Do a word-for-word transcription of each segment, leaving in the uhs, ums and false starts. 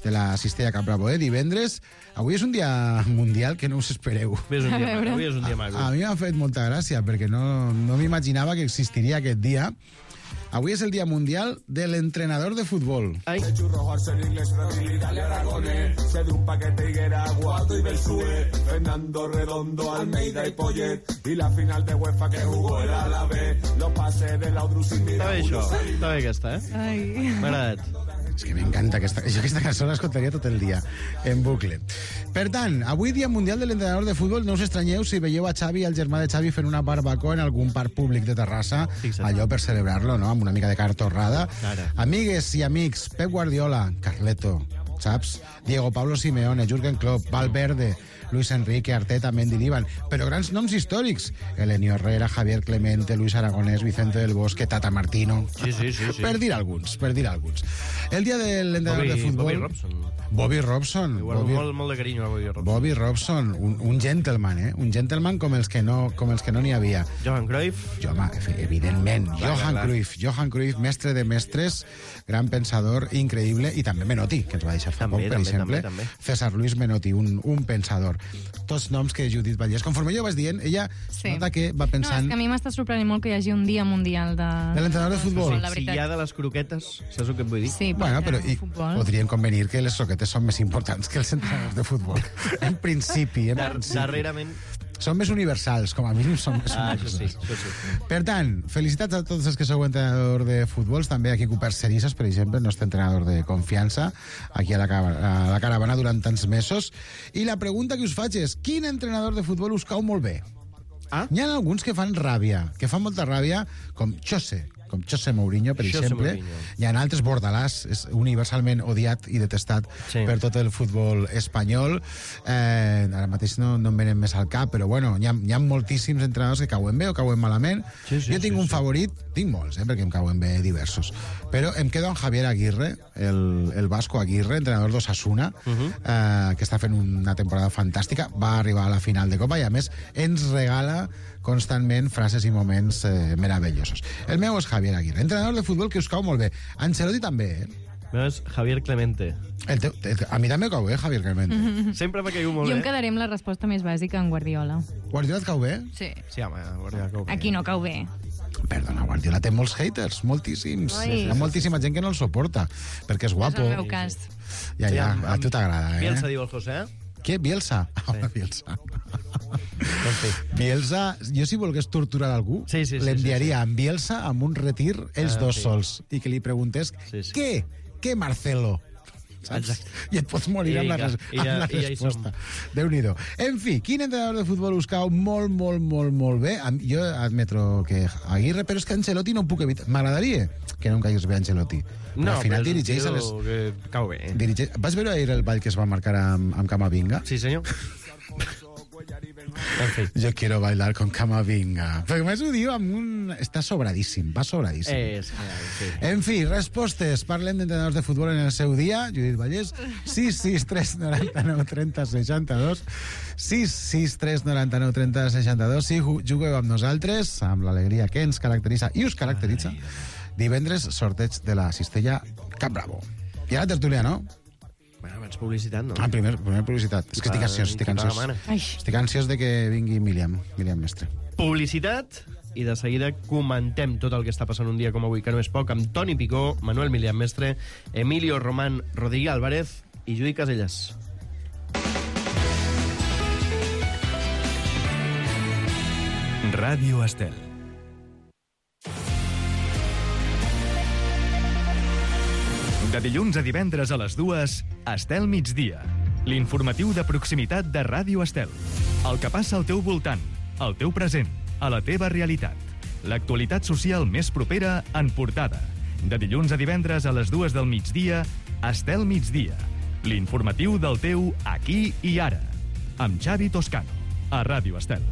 de la Cistella Cap Bravo de divendres. Avui és un dia mundial que no us espereu. Avui és un dia, avui és un dia maco. A, a mi m'ha fet molta gràcia, perquè no, no m'imaginava que existiria aquest dia. Avui és el dia mundial de l'entrenador de futbol. Ai. Fernando Redondo, Almeida y Poyet y la final de UEFA que jugó el Alavés, los pases de Laudrup sin mirar. Està bé això, està bé aquesta, eh? Ai. M'ha agradat. És que m'encanta aquesta... Jo aquesta cançó l'escoltaria tot el dia, en bucle. Per tant, avui dia mundial de l'entrenador de futbol, no us estranyeu si veieu a Xavi i el germà de Xavi fent una barbacoa en algun parc públic de Terrassa, Fixa't. allò per celebrar-lo, no?, amb una mica de carn torrada. Ara. Amigues i amics, Pep Guardiola, Carleto, saps? Diego Pablo Simeone, Jürgen Klopp, Valverde, Luis Enrique, Arteta, Mendy, Líban, però grans noms històrics. Elenio Herrera, Javier Clemente, Luis Aragonés, Vicente del Bosque, Tata Martino. Sí, sí, sí, sí. Per dir alguns, per dir alguns. El dia de l'entrenador Bobby, de futbol... Bobby Robson. Bobby Robson. Li guardo Bobby, molt, molt de carinyo a Bobby Robson. Bobby Robson, un, un gentleman, eh? Un gentleman com els que no com els que no n'hi havia. Johan Cruyff. Jo, home, evidentment, Clar, Johan clar. Cruyff, Johan Cruyff, mestre de mestres, gran pensador, increïble, i també Menotti, que ens va deixar fa També, poc, per també, exemple. també, també. César Luis Menotti, un, un pensador. Tots noms que Judit Vallès. Conforme jo vas dient, ella Sí. nota que va No, pensant... és que a mi m'està sorprenent molt que hi hagi un dia mundial de... De l'entrenador de futbol. La Si veritat. hi ha de les croquetes, saps el que et vull dir? Sí, Bueno, però i, futbol. podríem convenir que les croquetes són més importants que els entrenadors de futbol. En principi, en Dar principi. darrerament... Són més universals, com a mínim són més Ah, això sí, universals. això sí. Per tant, felicitats a tots els que sou entrenador de futbols, també aquí Cooper Cerisas, per exemple, el nostre entrenador de confiança, aquí a la, a la caravana durant tants mesos. I la pregunta que us faig és, quin entrenador de futbol us cau molt bé? Ah? N'hi ha alguns que fan ràbia, que fan molta ràbia, com José, com José Mourinho, per José exemple. Mourinho. Hi ha altres, Bordalàs, és universalment odiat i detestat Sí. per tot el futbol espanyol. Eh, ara mateix no, no em venen més al cap, però bueno, hi ha, hi ha moltíssims entrenadors que cauen bé o cauen malament. Sí, sí, jo tinc sí, un sí. favorit, tinc molts, eh, perquè em cauen bé diversos, però em quedo amb Javier Aguirre, el, el Vasco Aguirre, entrenador d'Osasuna, uh -huh. eh, que està fent una temporada fantàstica, va arribar a la final de Copa i a més ens regala constantment frases i moments eh, meravellosos. El meu és Javier Aguirre, entrenador de futbol que us cau molt bé. Ancelotti també, eh? És Javier Clemente. El teu, el, a mi també cau bé, Javier Clemente. Mm -hmm. Sempre m'ha caigut molt Jo em bé. quedaré amb la resposta més bàsica en Guardiola. Guardiola et cau bé? Sí. Sí, home, Guardiola cau bé. Aquí no cau bé. Perdona, Guardiola té molts haters, moltíssims. Ai. Hi ha moltíssima gent que no el suporta, perquè és guapo. És el meu cas. Ja, Sí, ja, amb- a tu t'agrada, eh? Bielsa diu el José. Què? Bielsa? Sí. Ah, Bielsa. En fi. Bielsa, jo si volgués torturar algú, Sí, sí, sí, l'enviaria amb Bielsa amb un retir ells Ah, dos sí. sols i que li preguntés Sí, sí. què? Què, Marcelo? Saps? Exacte. I et pots morir I amb la, vinga, res i amb ja- la i ja hi resposta. Déu-n'hi-do. En fi, quin entrenador de futbol us cau molt, molt, molt, molt bé? Am- Jo admetro que Aguirre, però és que Ancelotti no ho puc evitar. M'agradaria que no em caigués bé Ancelotti. Però No, al final però és un dirigeix a tio les... que cau bé. Dirigeix... Vas veure ahir el ball que es va marcar amb, amb Camavinga? Sí, senyor. En fi. Jo quiero bailar con Camavinga. Perquè més ho diu amb un... Està sobradíssim, va sobradíssim. És, sí. En fi, respostes. Parlem d'entrenadors de futbol en el seu dia. Judit Vallès, sis sis tres noranta-nou trenta seixanta-dos. sis sis tres noranta-nou trenta seixanta-dos. Si jugueu amb nosaltres, amb l'alegria que ens caracteritza i us caracteritza, divendres sorteig de la Cistella Cap Bravo. I ara tertúlia, no? Bueno, abans publicitat, no? Ah, primer, primer publicitat. És que estic ansiós, estic Qui paga ansiós. mana. Ai. Estic ansiós de que vingui Míriam, Míriam Mestre. Publicitat, i de seguida comentem tot el que està passant un dia com avui, que no és poc, amb Toni Picó, Manuel Milian Mestre, Emilio Román, Rodríguez Álvarez i Judit Casellas. Ràdio Estel. De dilluns a divendres a les dues, Estel migdia. L'informatiu de proximitat de Ràdio Estel. El que passa al teu voltant, al teu present, a la teva realitat. L'actualitat social més propera en portada. De dilluns a divendres a les dues del migdia, Estel migdia. L'informatiu del teu aquí i ara. Amb Xavi Toscano, a Ràdio Estel.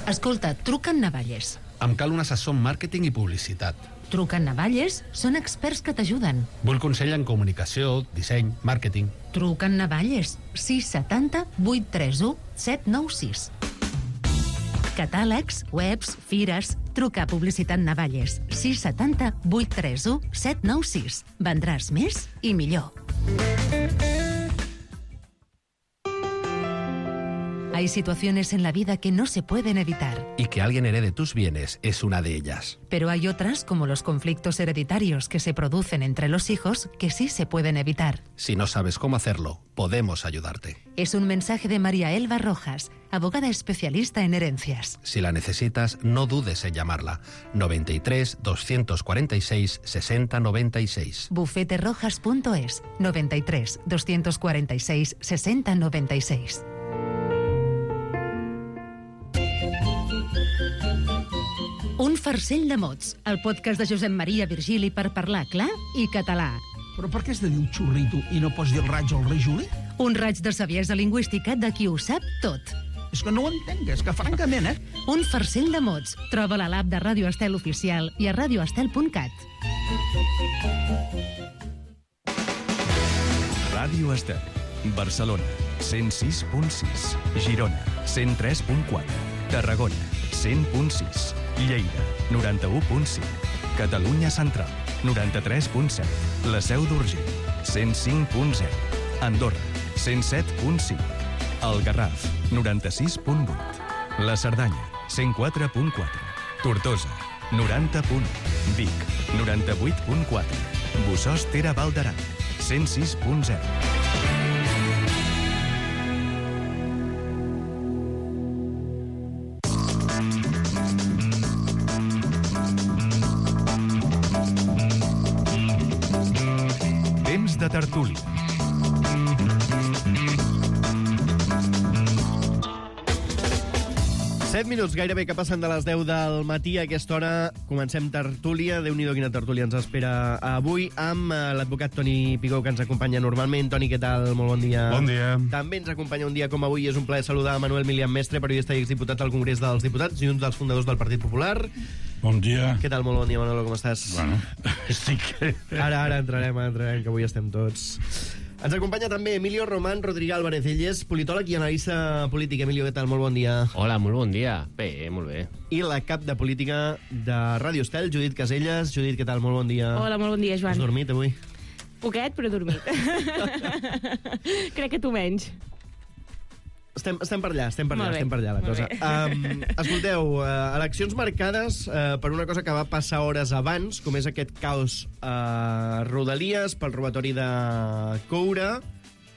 Escolta, truca en Navalles. Em cal un assessor en màrqueting i publicitat. Truca en Navalles, són experts que t'ajuden. Vull consell en comunicació, disseny, màrqueting. Truca en Navalles, sis setanta vuit trenta u set nou sis. Catàlegs, webs, fires... Truca a Publicitat Navalles. sis setanta vuit tres u set nou sis. Vendràs més i millor. Hay situaciones en la vida que no se pueden evitar. Y que alguien herede tus bienes es una de ellas. Pero hay otras, como los conflictos hereditarios que se producen entre los hijos, que sí se pueden evitar. Si no sabes cómo hacerlo, podemos ayudarte. Es un mensaje de María Elba Rojas, abogada especialista en herencias. Si la necesitas, no dudes en llamarla. noventa y tres, doscientos cuarenta y seis, sesenta noventa y seis. bufete rojas punto es, noventa y tres, doscientos cuarenta y seis, sesenta noventa y seis. Un farcell de mots, el podcast de Josep Maria Virgili per parlar clar i català. Però per què has de dir un xurrito i no pots dir el raig al rei Juli? Un raig de saviesa lingüística de qui ho sap tot. És que no ho entenc, és que francament, eh? Un farcell de mots. Troba-la a l'app de Ràdio Estel Oficial i a radioestel punt cat. Ràdio Estel. Barcelona, cent sis punt sis. Girona, cent tres punt quatre. Tarragona, cent punt sis. Lleida, noranta-u punt cinc. Catalunya Central, noranta-tres punt set. La Seu d'Urgell, cent cinc punt zero. Andorra, cent set punt cinc. El Garraf, noranta-sis punt vuit. La Cerdanya, cent quatre punt quatre. Tortosa, noranta punt u. Vic, noranta-vuit punt quatre. Bossòst Ter Val d'Aran, cent sis punt zero. Temps de tertúlia. set minuts gairebé que passen de les deu del matí. A aquesta hora comencem tertúlia. Déu-n'hi-do quina tertúlia ens espera avui amb l'advocat Toni Picó, que ens acompanya normalment. Toni, què tal? Molt bon dia. Bon dia. També ens acompanya un dia com avui. És un plaer saludar Manuel Milian Mestre, periodista i exdiputat al Congrés dels Diputats i un dels fundadors del Partit Popular. Bon dia. Què tal? Molt bon dia, Manolo, com estàs? Bueno, estic... Ara, ara entrarem, entrarem, que avui estem tots. Ens acompanya també Emilio Román Rodríguez Álvarez. Ell és politòleg i analista polític. Emilio, què tal? Molt bon dia. Hola, molt bon dia. Bé, molt bé. I la cap de política de Ràdio Estel, Judit Caselles. Judit, què tal? Molt bon dia. Hola, molt bon dia, Joan. Has dormit avui? Poquet, però dormit. Crec que tu menys. Estem, estem per allà, estem per allà, Molt bé. estem per allà, la Molt cosa. Um, escolteu, uh, eleccions marcades uh, per una cosa que va passar hores abans, com és aquest caos a uh, Rodalies pel robatori de coure,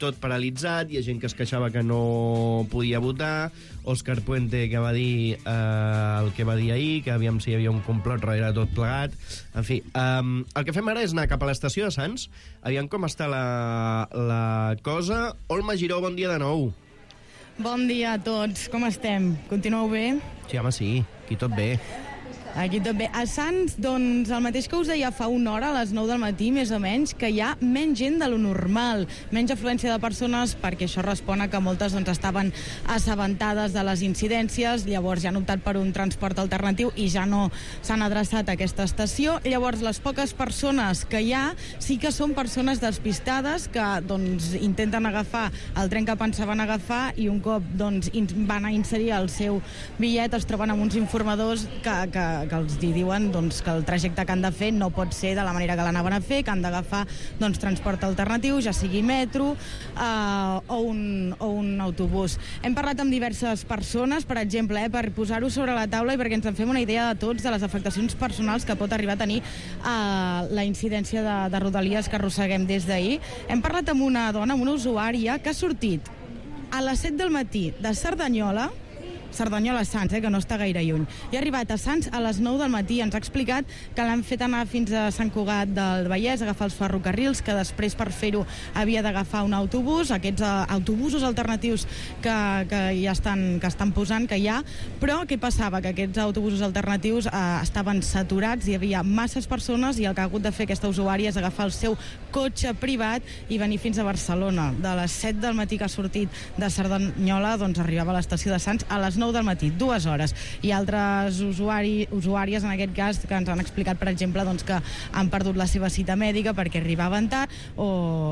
tot paralitzat, hi ha gent que es queixava que no podia votar, Òscar Puente que va dir uh, el que va dir ahir, que aviam si hi havia un complot darrere de tot plegat. En fi, um, el que fem ara és anar cap a l'estació de Sants, aviam com està la, la cosa. Olma Giró, bon dia de nou. Bon dia a tots, com estem? Continueu bé? Sí, home, sí, aquí tot bé. Aquí tot bé. A Sants, doncs, el mateix que us deia fa una hora, a les nou del matí, més o menys, que hi ha menys gent de lo normal, menys afluència de persones, perquè això respon a que moltes doncs, estaven assabentades de les incidències, llavors ja han optat per un transport alternatiu i ja no s'han adreçat a aquesta estació. Llavors, les poques persones que hi ha sí que són persones despistades que doncs, intenten agafar el tren que pensaven agafar i un cop doncs, van a inserir el seu bitllet es troben amb uns informadors que, que que els diuen doncs, que el trajecte que han de fer no pot ser de la manera que l'anaven a fer, que han d'agafar doncs, transport alternatiu, ja sigui metro eh, o, un, o un autobús. Hem parlat amb diverses persones, per exemple, eh, per posar-ho sobre la taula i perquè ens en fem una idea de tots de les afectacions personals que pot arribar a tenir eh, la incidència de, de Rodalies que arrosseguem des d'ahir. Hem parlat amb una dona, amb una usuària, que ha sortit a les set del matí de Cerdanyola, Cerdanyola Sants, eh, que no està gaire lluny. I ha arribat a Sants a les nou del matí. Ens ha explicat que l'han fet anar fins a Sant Cugat del Vallès, agafar els ferrocarrils, que després per fer-ho havia d'agafar un autobús, aquests uh, autobusos alternatius que, que ja estan, que estan posant, que hi ha, però què passava? Que aquests autobusos alternatius uh, estaven saturats, hi havia masses persones i el que ha hagut de fer aquesta usuària és agafar el seu cotxe privat i venir fins a Barcelona. De les set del matí que ha sortit de Cerdanyola, doncs arribava a l'estació de Sants a les nou del matí, dues hores. I altres usuari, usuàries, en aquest cas, que ens han explicat, per exemple, doncs, que han perdut la seva cita mèdica perquè arribaven tard o,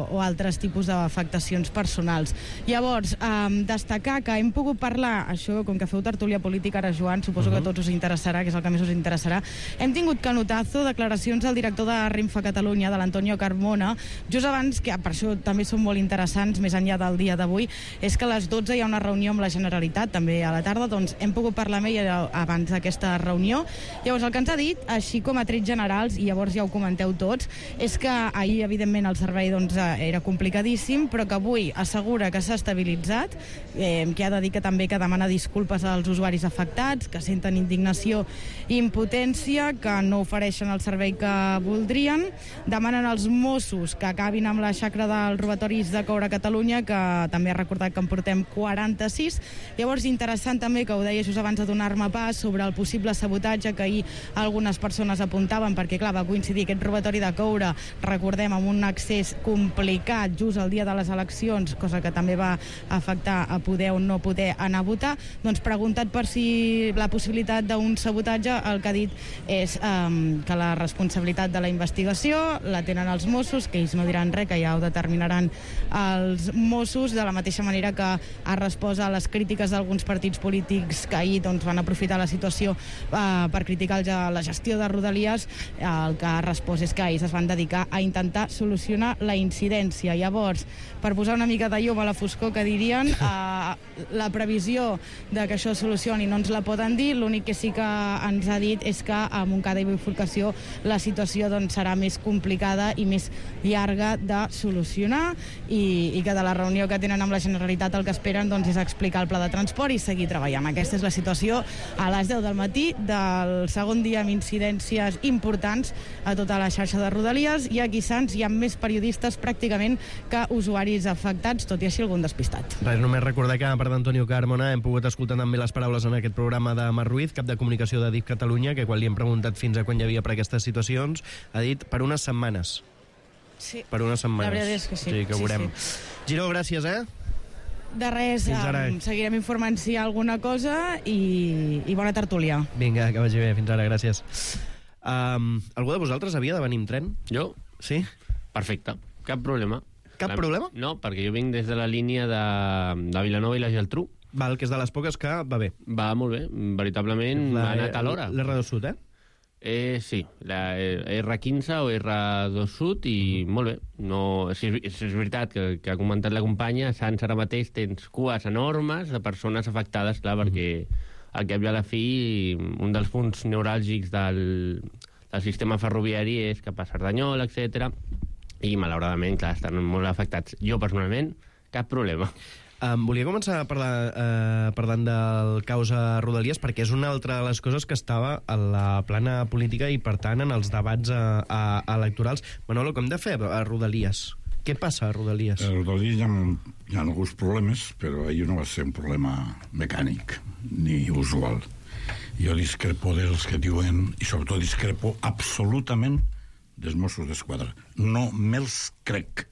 o altres tipus d'afectacions personals. Llavors, eh, destacar que hem pogut parlar, això, com que feu tertúlia política ara, Joan, suposo uh-huh. que a tots us interessarà, que és el que més us interessarà, hem tingut canotazo, declaracions del director de Renfe Catalunya, de l'Antonio Carmona, just abans, que per això també són molt interessants, més enllà del dia d'avui, és que a les dotze hi ha una reunió amb la Generalitat, també a la tarda, doncs hem pogut parlar amb ell abans d'aquesta reunió. Llavors, el que ens ha dit, així com a trets generals, i llavors ja ho comenteu tots, és que ahir, evidentment, el servei doncs, era complicadíssim, però que avui assegura que s'ha estabilitzat, eh, que ha de dir que també que demana disculpes als usuaris afectats, que senten indignació i impotència, que no ofereixen el servei que voldrien, demanen als Mossos que acabin amb la xacra dels robatoris de coure a Catalunya, que també ha recordat que en portem quaranta-sis. Llavors, interessant també, que ho deia just abans de donar-me pas, sobre el possible sabotatge que ahir algunes persones apuntaven, perquè, clar, va coincidir aquest robatori de coure, recordem, amb un accés complicat just el dia de les eleccions, cosa que també va afectar a poder o no poder anar a votar. Doncs, preguntat per si la possibilitat d'un sabotatge, el que ha dit és um, que la responsabilitat de la investigació la tenen els Mossos, que ells no diran res, que ja ho determinaran els Mossos, de la mateixa manera que ha respost a les crítiques d'alguns partits polítics que ahir doncs, van aprofitar la situació eh, per criticar la gestió de Rodalies. El que ha respost és que ells es van dedicar a intentar solucionar la incidència. Llavors, per posar una mica de llum a la foscor, que dirien, eh, la previsió de que això es solucioni no ens la poden dir, l'únic que sí que ens ha dit és que a Montcada i Bifurcació la situació doncs, serà més complicada i més llarga de solucionar, i, i que de la reunió que tenen amb la Generalitat el que esperen doncs, és explicar el pla de transport i seguir treballant. Aquesta és la situació a les deu del matí del segon dia amb incidències importants a tota la xarxa de Rodalies, i aquí, Sants, hi ha més periodistes pràcticament que usuaris afectats, tot i així algun despistat. Res, només recordar que, a part d'Antonio Carmona, hem pogut escoltar també les paraules en aquest programa de Marc Ruiz, cap de comunicació de D I F Catalunya, que quan li hem preguntat fins a quan hi havia per aquestes situacions, ha dit per unes setmanes. Sí. Per unes setmanes. La veritat és que sí. Sí, que sí, veurem. sí. Giró, gràcies, eh? De res, um, seguirem informant si hi ha alguna cosa, i, i bona tertúlia. Vinga, que vagi bé, fins ara, gràcies. Um, algú de vosaltres havia de venir amb tren? Jo? Sí? Perfecte, cap problema. Cap la... problema? No, perquè jo vinc des de la línia de, de Vilanova i la Geltrú. Val, que és de les poques que va bé. Va molt bé, veritablement la, ha anat a l'hora. L'R dos Sud, eh? Eh, sí, la erre quinze o erre dos Sud, i molt bé. No, és, és, és veritat que, que ha comentat la companya, a Sants ara mateix tens cues enormes de persones afectades, clar, perquè al cap i a la fi un dels punts neuràlgics del, del sistema ferroviari és cap a Cerdanyola, etcètera. I malauradament, clar, estan molt afectats. Jo, personalment, cap problema. Um, volia començar a parlar, uh, parlant del causa Rodalies, perquè és una altra de les coses que estava a la plana política i, per tant, en els debats uh, uh, electorals. Manolo, com hem de fer a Rodalies? Què passa a Rodalies? A Rodalies hi ha, hi ha alguns problemes, però ahir no va ser un problema mecànic ni usual. Jo discrepo dels que diuen, i sobretot discrepo absolutament dels Mossos d'Esquadra. No me'ls crec.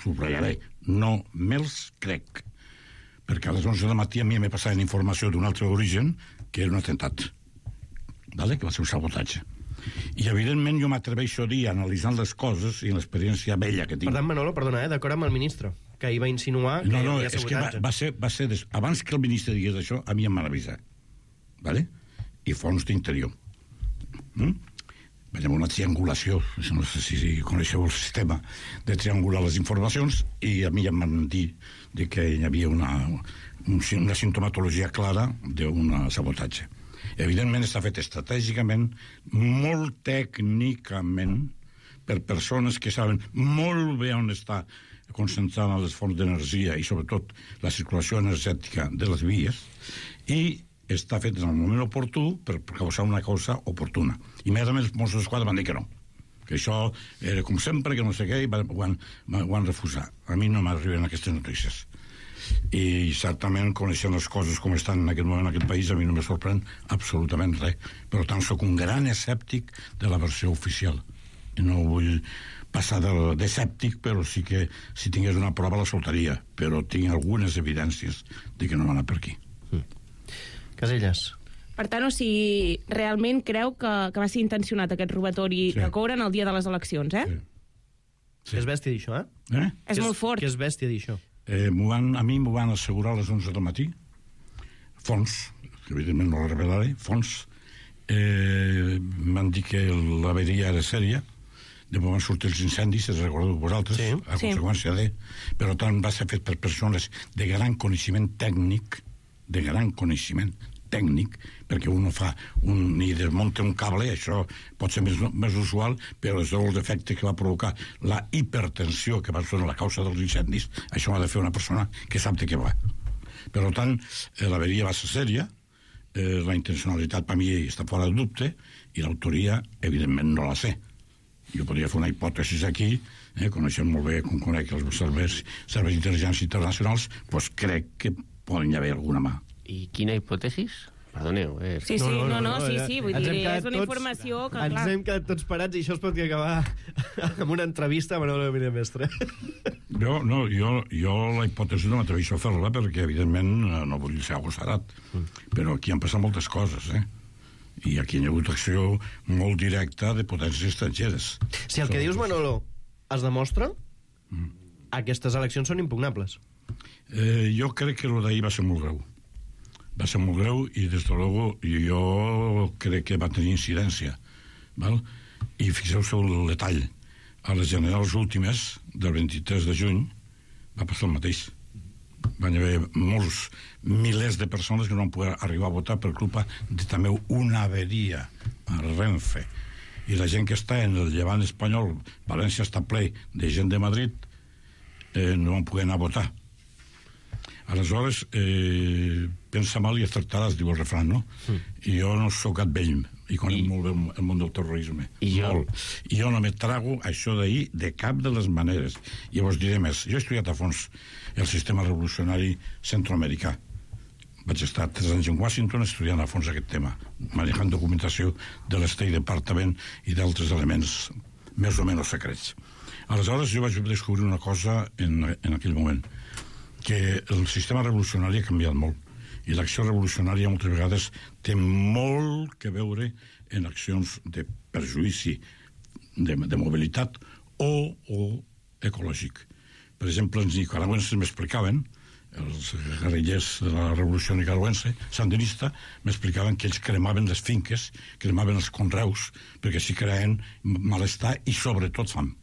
Subratllaré. No me'ls crec. Perquè a les onze del matí a mi m'he passat informació d'un altre origen, que era un atemptat. Vale? Que va ser un sabotatge. I, evidentment, jo m'atreveixo a dir, analitzant les coses i l'experiència vella que tinc. Per tant, Manolo, perdona, eh, d'acord amb el ministre, que ahir va insinuar que no, no, hi havia és que va, va ser, va ser des... abans que el ministre digués això, a mi em van avisar. Vale? I fons d'interior. Mm? Veiem una triangulació, no sé si coneixeu el sistema de triangular les informacions, i a mi em van dir que hi havia una, una sintomatologia clara d'un sabotatge. Evidentment està fet estratègicament, molt tècnicament, per persones que saben molt bé on està concentrada les fonts d'energia i sobretot la circulació energètica de les vies, i està fet en el moment oportú per causar una causa oportuna. Immediatament els Mossos d'Esquadra van dir que no, que això era com sempre, que no sé què, i van, ho, han, ho han refusat. A mi no m'arriben aquestes notícies. I certament, coneixent les coses com estan en aquest moment en aquest país, a mi no me sorprèn absolutament res. Per tant, sóc un gran escèptic de la versió oficial. I no vull passar d'escèptic, però sí que si tingués una prova la soltaria, però tinc algunes evidències de que no va anar per aquí. Mm. Casellas. Per tant, o sigui, realment creu que, que va ser intencionat aquest robatori Sí. de coure en el dia de les eleccions, eh? Sí. Sí. És bèstia dir això, eh? Eh? És molt fort. Que és bèstia dir això. Eh, m'ho van, a mi m'ho van assegurar a les onze del matí. Fons, que evidentment no la revelaré, fons. Eh, m'han dit que l'averia era sèria. Després van sortir els incendis, si recordeu vosaltres, Sí. a Sí. conseqüència de... Per tant, va ser fet per persones de gran coneixement tècnic, de gran coneixement tècnic, perquè un no fa un, ni desmunta un cable, això pot ser més, més usual, però és el defecte que va provocar la hipertensió que va ser la causa dels incendis, això ho ha de fer una persona que sap de què va. Per tant, eh, l'averia va ser sèria, eh, la intencionalitat per mi està fora de dubte, i l'autoria, evidentment, no la sé. Jo podria fer una hipòtesi aquí, eh, coneixent molt bé com conec els serveis, serveis d'intel·ligència internacionals, doncs crec que poden haver alguna mà. I quina hipòtesis? Perdoneu. Eh? Sí, sí, no, no, sí, sí, vull Ens dir, hem quedat és una tots- informació que, Ens clar... hem quedat tots parats i això es pot acabar amb una entrevista a Manolo Mira Mestre. Jo, no, jo, jo la hipòtesi no m'atreveixo a fer-la perquè, evidentment, no vull ser agossarat. Però aquí han passat moltes coses, eh? I aquí hi ha hagut acció molt directa de potències estrangeres. Si el que dius, Manolo, es demostra, aquestes eleccions són impugnables. Eh, jo crec que el d'ahir va ser molt greu. Va ser molt greu i, des de luego, jo crec que va tenir incidència. Val? I fixeu-vos el detall. A les generals últimes, del vint-i-tres de juny, va passar el mateix. Van haver molts, milers de persones que no van poder arribar a votar per culpa de també una averia a Renfe. I la gent que està en el llevant espanyol, València està ple de gent de Madrid, eh, no van poder anar a votar. Aleshores, eh, pensa mal i acertaràs, diu el refrany, no? Mm. I jo no sóc gat vell, i conec I... molt bé el món del terrorisme. I jo? Molt. I jo no me trago això d'ahir de cap de les maneres. I vos diré més. Jo he estudiat a fons el sistema revolucionari centroamericà. Vaig estar tres anys en Washington estudiant a fons aquest tema, manejant documentació de l'State Department i d'altres elements més o menys secrets. Aleshores, jo vaig descobrir una cosa en, en aquell moment, que el sistema revolucionari ha canviat molt i l'acció revolucionària moltes vegades té molt que veure en accions de perjuïci de, de mobilitat o, o ecològic. Per exemple, els nicaragüenses m'explicaven, els guerrillers de la revolució nicaragüense, sandinista, m'explicaven que ells cremaven les finques, cremaven els conreus, perquè s'hi creien malestar i sobretot fam.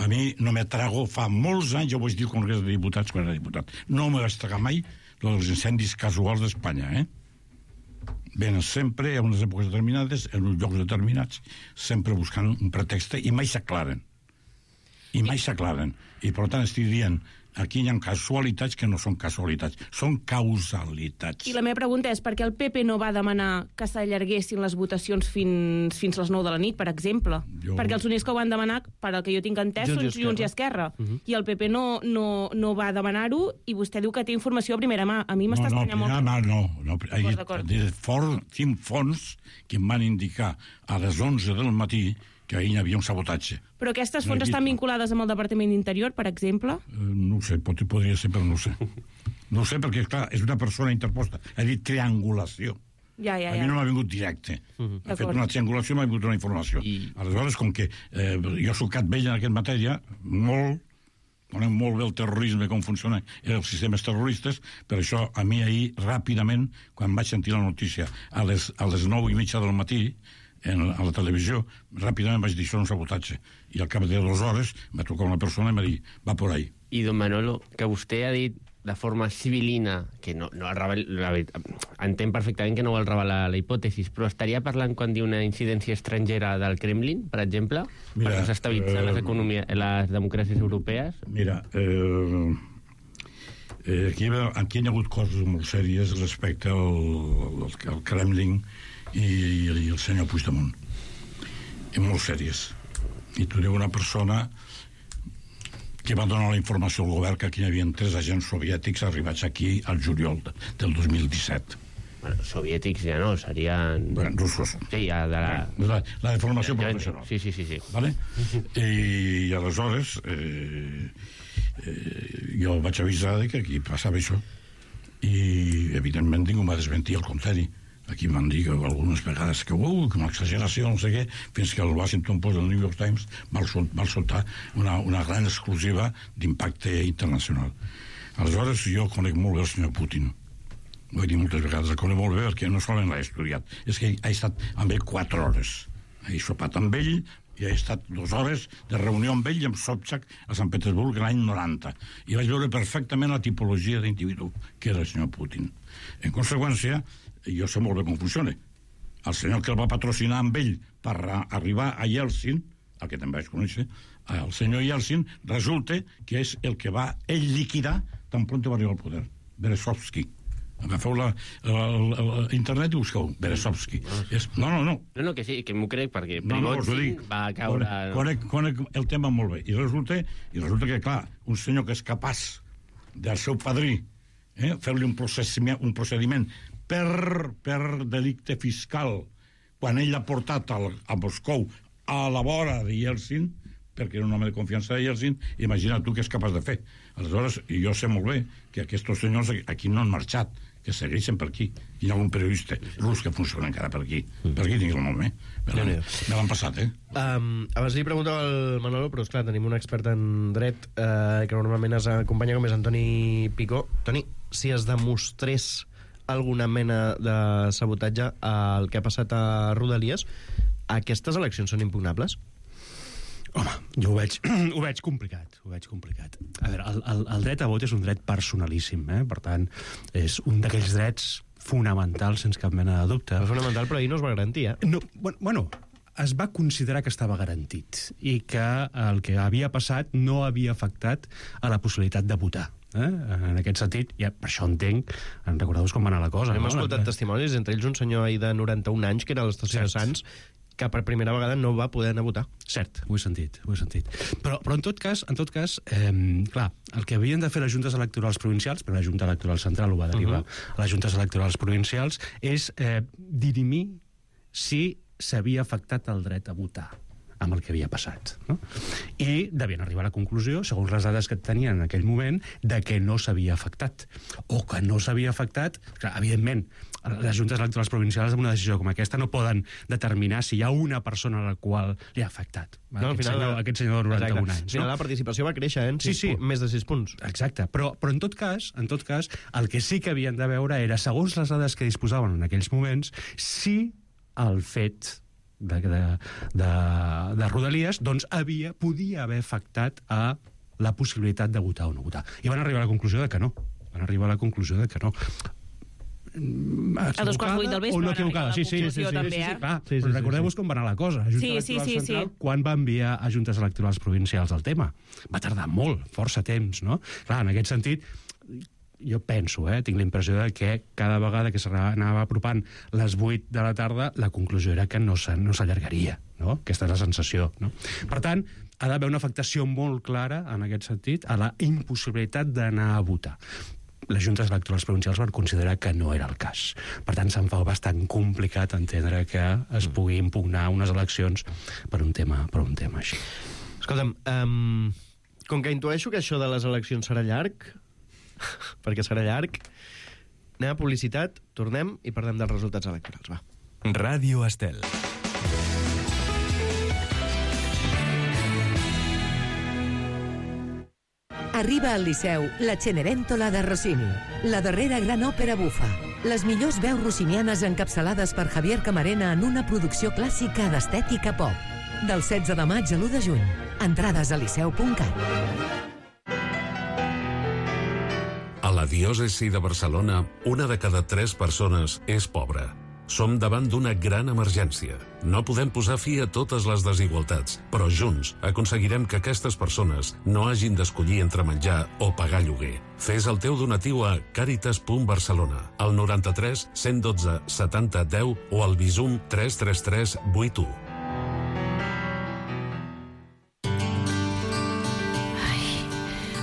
A mi no me trago, fa molts anys, jo vaig dir al Congrés de Diputats quan era diputat, no me vaig tragar mai els incendis casuals d'Espanya, eh? Venen sempre a unes èpoques determinades, en uns llocs determinats, sempre buscant un pretext i mai s'aclaren. I mai s'aclaren. I per tant estic dient, aquí hi ha casualitats que no són casualitats, són causalitats. I la meva pregunta és per què el P P no va demanar que s'allarguessin les votacions fins, fins les nou de la nit, per exemple? Jo... Perquè els únics que ho van demanar, per al que jo tinc entès, Junts i són Junts i Esquerra. Uh -huh. I el P P no, no, no va demanar-ho i vostè diu que té informació a primera mà. A mi m'està no, no, estranyant molt. No, no, no. Ahir, d'acord. for, tinc fons que em van indicar a les onze del matí que ahir hi havia un sabotatge. Però aquestes No he fonts vist. estan vinculades amb el Departament d'Interior, per exemple? Eh, no ho sé, pot, podria ser, però no ho sé. No ho sé, perquè, clar, és una persona interposta. Ha dit triangulació. Ja, ja, A mi ja. no m'ha vingut directe. Uh -huh. Ha fet D'acord. una triangulació i m'ha vingut una informació. I... Aleshores, com que eh, jo soc cat vell en aquesta matèria, molt, conec molt bé el terrorisme, com funcionen els sistemes terroristes, per això a mi ahir, ràpidament, quan vaig sentir la notícia a les, a les nou i mitja del matí, en, a la televisió, ràpidament vaig dir això és un sabotatge. I al cap de dues hores va trucar una persona i m'ha dit, va por ahí. I, don Manolo, que vostè ha dit de forma civilina, que no, no revel, la veritat, entenc perfectament que no vol revelar la hipòtesi, però estaria parlant quan diu una incidència estrangera del Kremlin, per exemple, Mira, per desestabilitzar eh, les economies, les democràcies europees? Mira, eh, eh, aquí, aquí hi ha hagut coses molt sèries respecte al, al, al Kremlin i, i el senyor Puigdemont. I molt sèries. I tu diu una persona que va donar la informació al govern que aquí hi havia tres agents soviètics arribats aquí al juliol del dos mil disset. Bueno, soviètics ja no, serien... Bueno, russos. Sí, ja de la... La, la de formació Ja, ja, professional. Sí, sí, sí. sí. Vale? I, I aleshores eh, eh, jo vaig avisar de que aquí passava això. I, evidentment, ningú m'ha desmentit el contrari. Aquí m'han dit algunes vegades que, uh, que una exageració, no sé què, fins que el Washington Post del New York Times va soltar una, una gran exclusiva d'impacte internacional. Aleshores, jo conec molt bé el senyor Putin. Ho he dit moltes vegades, el conec molt bé perquè no solament l'he estudiat, és que he estat amb ell quatre hores. He sopat amb ell i he estat dues hores de reunió amb ell i amb Sobchak a Sant Petersburg l'any noranta. I vaig veure perfectament la tipologia d'individu que era el senyor Putin. En conseqüència, jo sé molt bé com funciona. El senyor que el va patrocinar amb ell per arribar a Yeltsin, el que també vaig conèixer, el senyor Yeltsin, resulta que és el que va ell liquidar tan pront va arribar al poder. Berezovsky. Agafeu la, la, la, la internet i busqueu Berezovsky. És, no, no, no. No, no, que sí, que m'ho crec, perquè No, no, us ho Prigozhin dic. va caure... Conec, conec el tema molt bé. I resulta, i resulta que, clar, un senyor que és capaç del seu padrí eh, fer-li un procediment, un procediment per, per delicte fiscal quan ell l'ha portat al, a Moscou a la vora de Yeltsin, perquè era un home de confiança de Yeltsin, imagina tu què és capaç de fer. Aleshores, jo sé molt bé que aquests senyors aquí no han marxat, que segueixen per aquí. Hi ha algun periodista rus que funciona encara per aquí. Per aquí tinc el nom, eh? Me l'han, me l'han passat, eh? Um, abans li preguntava al Manolo, però esclar, tenim un expert en dret eh, que normalment es acompanya, com és Antoni Picó. Toni, si es demostrés alguna mena de sabotatge al que ha passat a Rodalies, aquestes eleccions són impugnables? Home, jo ho veig, ho veig complicat, ho veig complicat. A veure, el, el, el dret a vot és un dret personalíssim, eh? Per tant, és un d'aquells drets fonamentals, sense cap mena de dubte. És fonamental, però ahir no es va garantir, eh? No, bueno, bueno, es va considerar que estava garantit i que el que havia passat no havia afectat a la possibilitat de votar. Eh? En aquest sentit, ja, per això entenc, en recordeu-vos com va anar la cosa. Hem no? escoltat testimonis, entre ells un senyor ahir de noranta-un anys, que era a l'estació de Sants, que per primera vegada no va poder anar a votar. Cert, ho he sentit, ho he sentit. Però, però en tot cas, en tot cas eh, clar, el que havien de fer les juntes electorals provincials, però la Junta Electoral Central ho va derivar uh -huh. a les juntes electorals provincials, és eh, dirimir si s'havia afectat el dret a votar amb el que havia passat. No? I devien arribar a la conclusió, segons les dades que tenien en aquell moment, de que no s'havia afectat. O que no s'havia afectat... Clar, evidentment, les juntes electorals provincials amb una decisió com aquesta no poden determinar si hi ha una persona a la qual li ha afectat. No, aquest, final, senyor, aquest senyor de noranta-un exacte. anys. Al final No? la participació va créixer, eh? En Sí, sí. Més de sis punts. Exacte, però, però en tot cas, en tot cas, el que sí que havien de veure era, segons les dades que disposaven en aquells moments, si el fet de, de, de, de Rodalies doncs havia, podia haver afectat a la possibilitat de votar o no votar. I van arribar a la conclusió de que no. Van arribar a la conclusió de que no. A dos quarts vuit del vespre o no van equivocada, arribar a sí, la sí, sí, sí, conclusió, sí, també, sí, sí, eh? clar, Sí, sí, però sí, recordeu-vos sí. com va anar la cosa. La Junta Sí, sí, Electoral sí, Central, sí. quan va enviar a juntes electorals provincials el tema? Va tardar molt, força temps, no? Clar, en aquest sentit, jo penso, eh, tinc la impressió de que cada vegada que s'anava apropant les vuit de la tarda, la conclusió era que no s'allargaria, no? Aquesta és la sensació, no? Per tant, ha d'haver una afectació molt clara, en aquest sentit, a la impossibilitat d'anar a votar. Les juntes electorals provincials van considerar que no era el cas. Per tant, se'n fa bastant complicat entendre que es pugui impugnar unes eleccions per un tema, per un tema així. Escolta'm, um, com que intueixo que això de les eleccions serà llarg, perquè serà llarg, anem a publicitat, tornem i parlem dels resultats electorals, va. Ràdio Estel. Arriba al Liceu la Cenerentola de Rossini, la darrera gran òpera bufa. Les millors veus rossinianes encapçalades per Javier Camarena en una producció clàssica d'estètica pop. Del setze de maig a l'u de juny. Entrades a liceu punt cat. A la diòcesi de Barcelona, una de cada tres persones és pobra. Som davant d'una gran emergència. No podem posar fi a totes les desigualtats, però junts aconseguirem que aquestes persones no hagin d'escollir entre menjar o pagar lloguer. Fes el teu donatiu a caritas punt barcelona, al noranta-tres cent dotze setanta deu o al Bizum tres tres tres vuit u.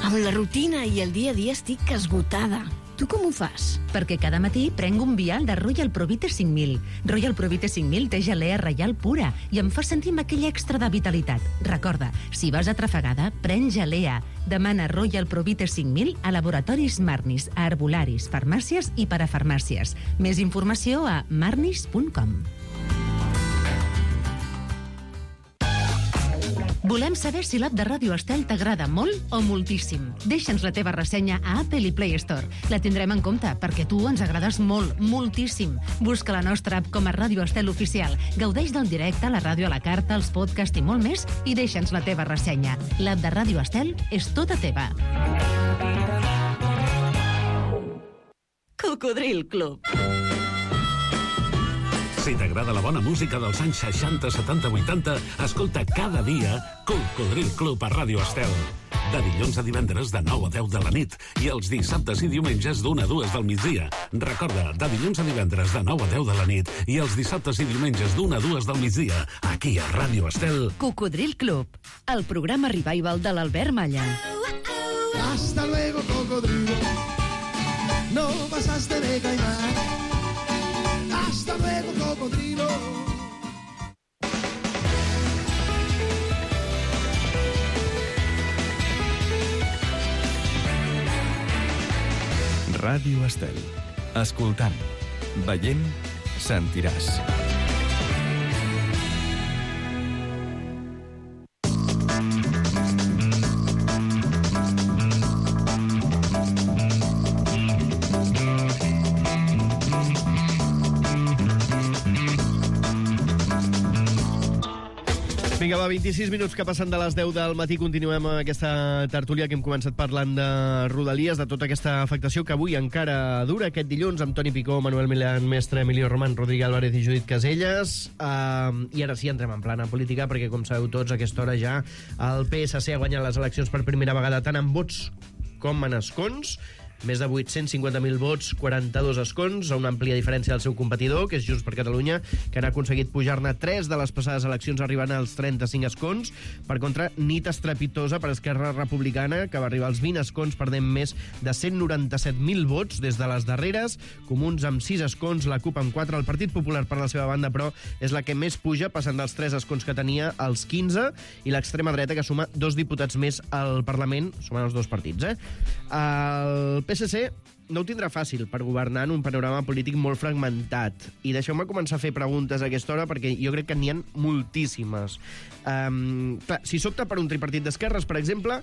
Amb la rutina i el dia a dia estic esgotada. Tu com ho fas? Perquè cada matí prenc un vial de Royal Provite cinc mil. Royal Provite cinc mil té gelea reial pura i em fa sentir amb aquell extra de vitalitat. Recorda, si vas atrafegada, pren gelea. Demana Royal Provite cinc mil a laboratoris Marnis, a herbolaris, farmàcies i parafarmàcies. Més informació a marnis punt com. Volem saber si l'app de Ràdio Estel t'agrada molt o moltíssim. Deixa'ns la teva ressenya a Apple i Play Store. La tindrem en compte, perquè tu ens agrades molt, moltíssim. Busca la nostra app com a Ràdio Estel Oficial. Gaudeix del directe, la ràdio a la carta, els podcasts i molt més, i deixa'ns la teva ressenya. L'app de Ràdio Estel és tota teva. Cocodril Club. Si t'agrada la bona música dels anys seixanta, setanta, vuitanta, escolta cada dia Cocodril Club a Ràdio Estel. De dilluns a divendres de nou a deu de la nit i els dissabtes i diumenges d'una a dues del migdia. Recorda, de dilluns a divendres de nou a deu de la nit i els dissabtes i diumenges d'una a dues del migdia, aquí a Ràdio Estel. Cocodril Club, el programa revival de l'Albert Malla. Hasta luego, cocodrilo. No pasaste de caimán. Hasta luego, cocodrilo. Ràdio Estel. Escoltant, veient, sentiràs. Vinga, va, vint-i-sis minuts que passen de les deu del matí. Continuem amb aquesta tertúlia que hem començat parlant de Rodalies, de tota aquesta afectació que avui encara dura aquest dilluns amb Toni Picó, Manuel Milán Mestre, Emilio Román, Rodrigo Álvarez i Judit Caselles. Uh, I ara sí, entrem en plana política, perquè, com sabeu tots, a aquesta hora ja el P S C ha guanyat les eleccions per primera vegada tant en vots com en escons. Més de vuit-cents cinquanta mil vots, quaranta-dos escons, a una àmplia diferència del seu competidor, que és Junts per Catalunya, que han aconseguit pujar-ne tres de les passades eleccions arribant als trenta-cinc escons. Per contra, nit estrepitosa per Esquerra Republicana, que va arribar als vint escons, perdent més de cent noranta-set mil vots des de les darreres. Comuns amb sis escons, la CUP amb quatre. El Partit Popular, per la seva banda, però, és la que més puja, passant dels tres escons que tenia als quinze, i l'extrema dreta, que suma dos diputats més al Parlament, sumant els dos partits, eh? El P S C no ho tindrà fàcil per governar en un panorama polític molt fragmentat. I deixeu-me començar a fer preguntes a aquesta hora, perquè jo crec que n'hi ha moltíssimes. Um, clar, si s'opta per un tripartit d'esquerres, per exemple,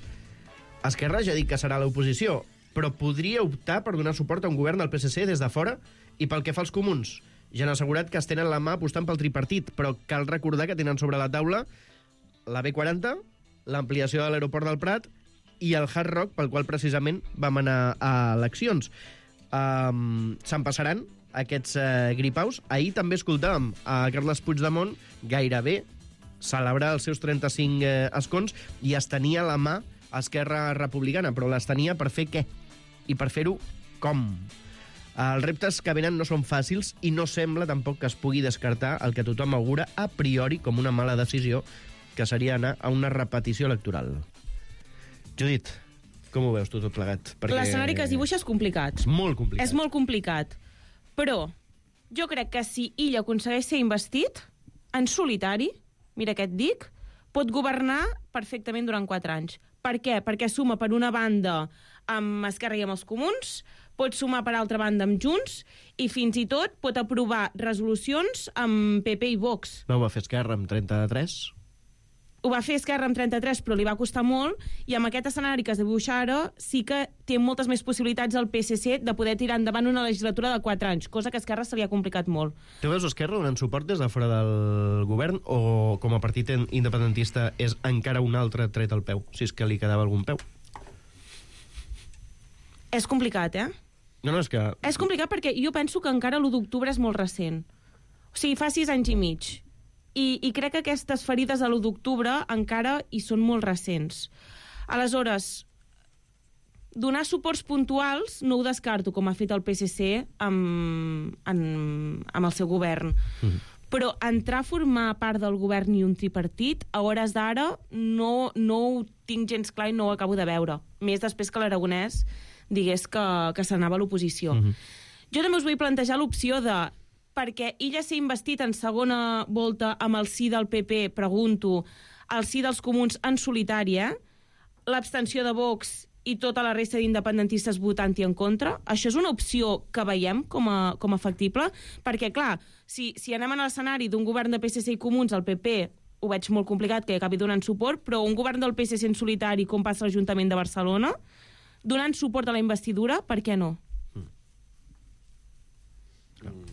Esquerra ja ha dit que serà l'oposició, però podria optar per donar suport a un govern del P S C des de fora. I pel que fa als comuns, ja han assegurat que es tenen la mà apostant pel tripartit, però cal recordar que tenen sobre la taula la B quaranta, l'ampliació de l'aeroport del Prat i el Hard Rock, pel qual precisament vam anar a eleccions. Um, Se'n passaran aquests uh, gripaus. Ahir també escoltàvem a Carles Puigdemont gairebé celebrar els seus trenta-cinc uh, escons i es tenia a la mà Esquerra Republicana, però les tenia per fer què? I per fer-ho com? Els reptes que venen no són fàcils i no sembla tampoc que es pugui descartar el que tothom augura a priori com una mala decisió, que seria anar a una repetició electoral. Judit, com ho veus tu tot plegat? Perquè... l'escenari que es dibuixa és complicat. És molt complicat. És molt complicat. Però jo crec que si ell aconsegueix ser investit, en solitari, mira què et dic, pot governar perfectament durant quatre anys. Per què? Perquè suma per una banda amb Esquerra i amb els Comuns, pot sumar per altra banda amb Junts i fins i tot pot aprovar resolucions amb P P i Vox. No ho va fer Esquerra amb trenta-tres? Ho va fer Esquerra amb trenta-tres, però li va costar molt, i amb aquest escenari que es dibuixa ara sí que té moltes més possibilitats el P S C de poder tirar endavant una legislatura de quatre anys, cosa que a Esquerra se li ha complicat molt. Tu veus Esquerra donant suport des de fora del govern o com a partit independentista és encara un altre tret al peu, si és que li quedava algun peu? És complicat, eh? No, no, és que... És complicat perquè jo penso que encara l'u d'octubre és molt recent. O sigui, fa sis anys i mig. I, i crec que aquestes ferides de l'u d'octubre encara hi són molt recents. Aleshores, donar suports puntuals no ho descarto, com ha fet el P S C amb, amb, amb el seu govern. Mm. Però entrar a formar part del govern i un tripartit, a hores d'ara, no, no ho tinc gens clar i no ho acabo de veure. Més després que l'Aragonès digués que, que s'anava a l'oposició. Mhm. Jo també us vull plantejar l'opció de, perquè ella s'ha investit en segona volta amb el sí del P P, pregunto, el sí dels comuns en solitari, eh? L'abstenció de Vox i tota la resta d'independentistes votant-hi en contra. Això és una opció que veiem com a, com a factible? Perquè, clar, si, si anem a l'escenari d'un govern de P S C i Comuns, el P P ho veig molt complicat que acabi donant suport, però un govern del P S C en solitari, com passa a l'Ajuntament de Barcelona, donant suport a la investidura, per què no?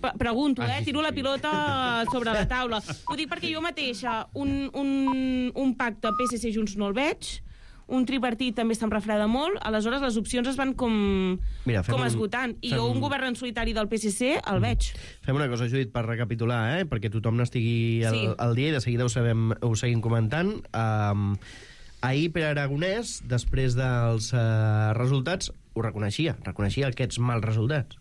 Pre pregunto, eh? Tiro la pilota sobre la taula. Ho dic perquè jo mateixa un, un, un pacte P S C Junts no el veig, un tripartit també se'm refreda molt, aleshores les opcions es van com, Mira, com un, esgotant, i fem... jo un govern en solitari del P S C el mm. veig. Fem una cosa, Judit, per recapitular, eh? perquè tothom n'estigui al, Sí. al dia i de seguida ho, sabem, ho seguim comentant. Um, ahir Pere Aragonès, després dels uh, resultats, ho reconeixia, reconeixia aquests mals resultats.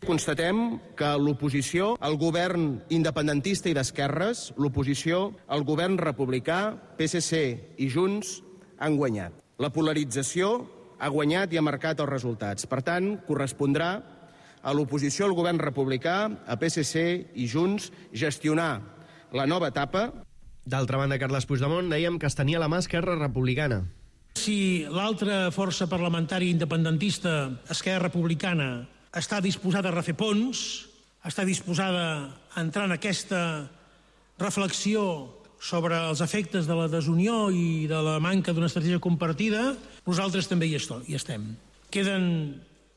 Constatem que l'oposició al govern independentista i d'esquerres, l'oposició al govern republicà, P S C i Junts, han guanyat. La polarització ha guanyat i ha marcat els resultats. Per tant, correspondrà a l'oposició al govern republicà, a P S C i Junts, gestionar la nova etapa. D'altra banda, Carles Puigdemont, dèiem que es tenia la mà Esquerra Republicana. Si l'altra força parlamentària independentista, Esquerra Republicana, està disposada a refer ponts, està disposada a entrar en aquesta reflexió sobre els efectes de la desunió i de la manca d'una estratègia compartida, nosaltres també hi estem. Queden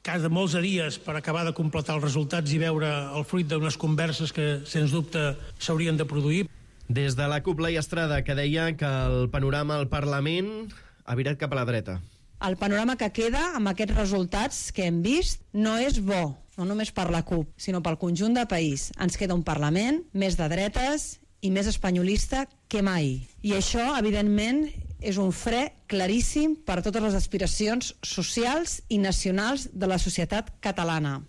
cada molts dies per acabar de completar els resultats i veure el fruit d'unes converses que, sens dubte, s'haurien de produir. Des de la Cúpula i Estrada, que deia que el panorama al Parlament ha virat cap a la dreta. El panorama que queda amb aquests resultats que hem vist no és bo, no només per la CUP, sinó pel conjunt del país. Ens queda un Parlament més de dretes i més espanyolista que mai. I això, evidentment, és un fre claríssim per a totes les aspiracions socials i nacionals de la societat catalana.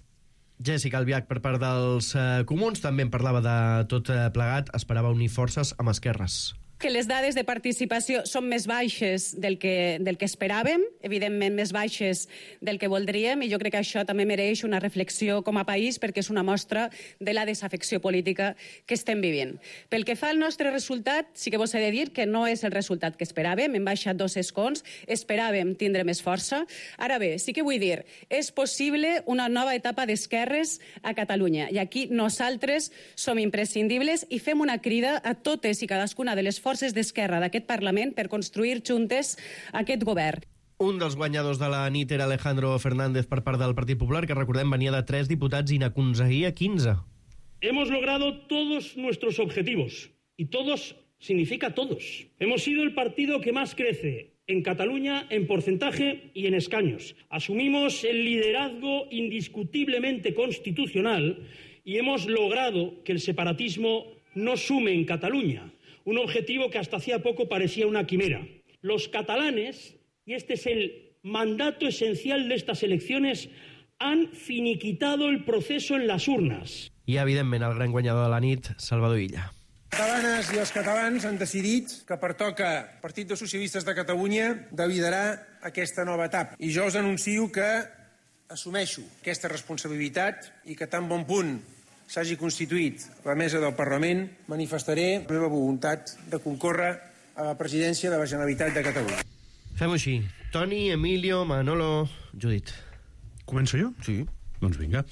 Jessica Albiach, per part dels eh, comuns, també en parlava de tot eh, plegat, esperava unir forces amb esquerres. Que les dades de participació són més baixes del que, del que esperàvem, evidentment més baixes del que voldríem, i jo crec que això també mereix una reflexió com a país perquè és una mostra de la desafecció política que estem vivint. Pel que fa al nostre resultat, sí que vos he de dir que no és el resultat que esperàvem, hem baixat dos escons, esperàvem tindre més força. Ara bé, sí que vull dir, és possible una nova etapa d'esquerres a Catalunya, i aquí nosaltres som imprescindibles i fem una crida a totes i cadascuna de les forces d'esquerra d'aquest Parlament per construir juntes aquest govern. Un dels guanyadors de la nit era Alejandro Fernández per part del Partit Popular, que recordem venia de tres diputats i n'aconseguia quinze. Hemos logrado todos nuestros objetivos, y todos significa todos. Hemos sido el partido que más crece en Cataluña en porcentaje y en escaños. Asumimos el liderazgo indiscutiblemente constitucional y hemos logrado que el separatismo no sume en Cataluña. Un objetivo que hasta hacía poco parecía una quimera. Los catalanes, y este es el mandato esencial de estas elecciones, han finiquitado el proceso en las urnas. I, evidentment, el gran guanyador de la nit, Salvador Illa. Les catalanes i els catalans han decidit que pertoca al Partit dels Socialistes de Catalunya de liderar aquesta nova etapa. I jo us anuncio que assumeixo aquesta responsabilitat i que tan bon punt s'hagi constituït la mesa del Parlament, manifestaré la meva voluntat de concórrer a la presidència de la Generalitat de Catalunya. Fem-ho així. Toni, Emilio, Manolo, Judit. Començo jo? Sí. Doncs vinga.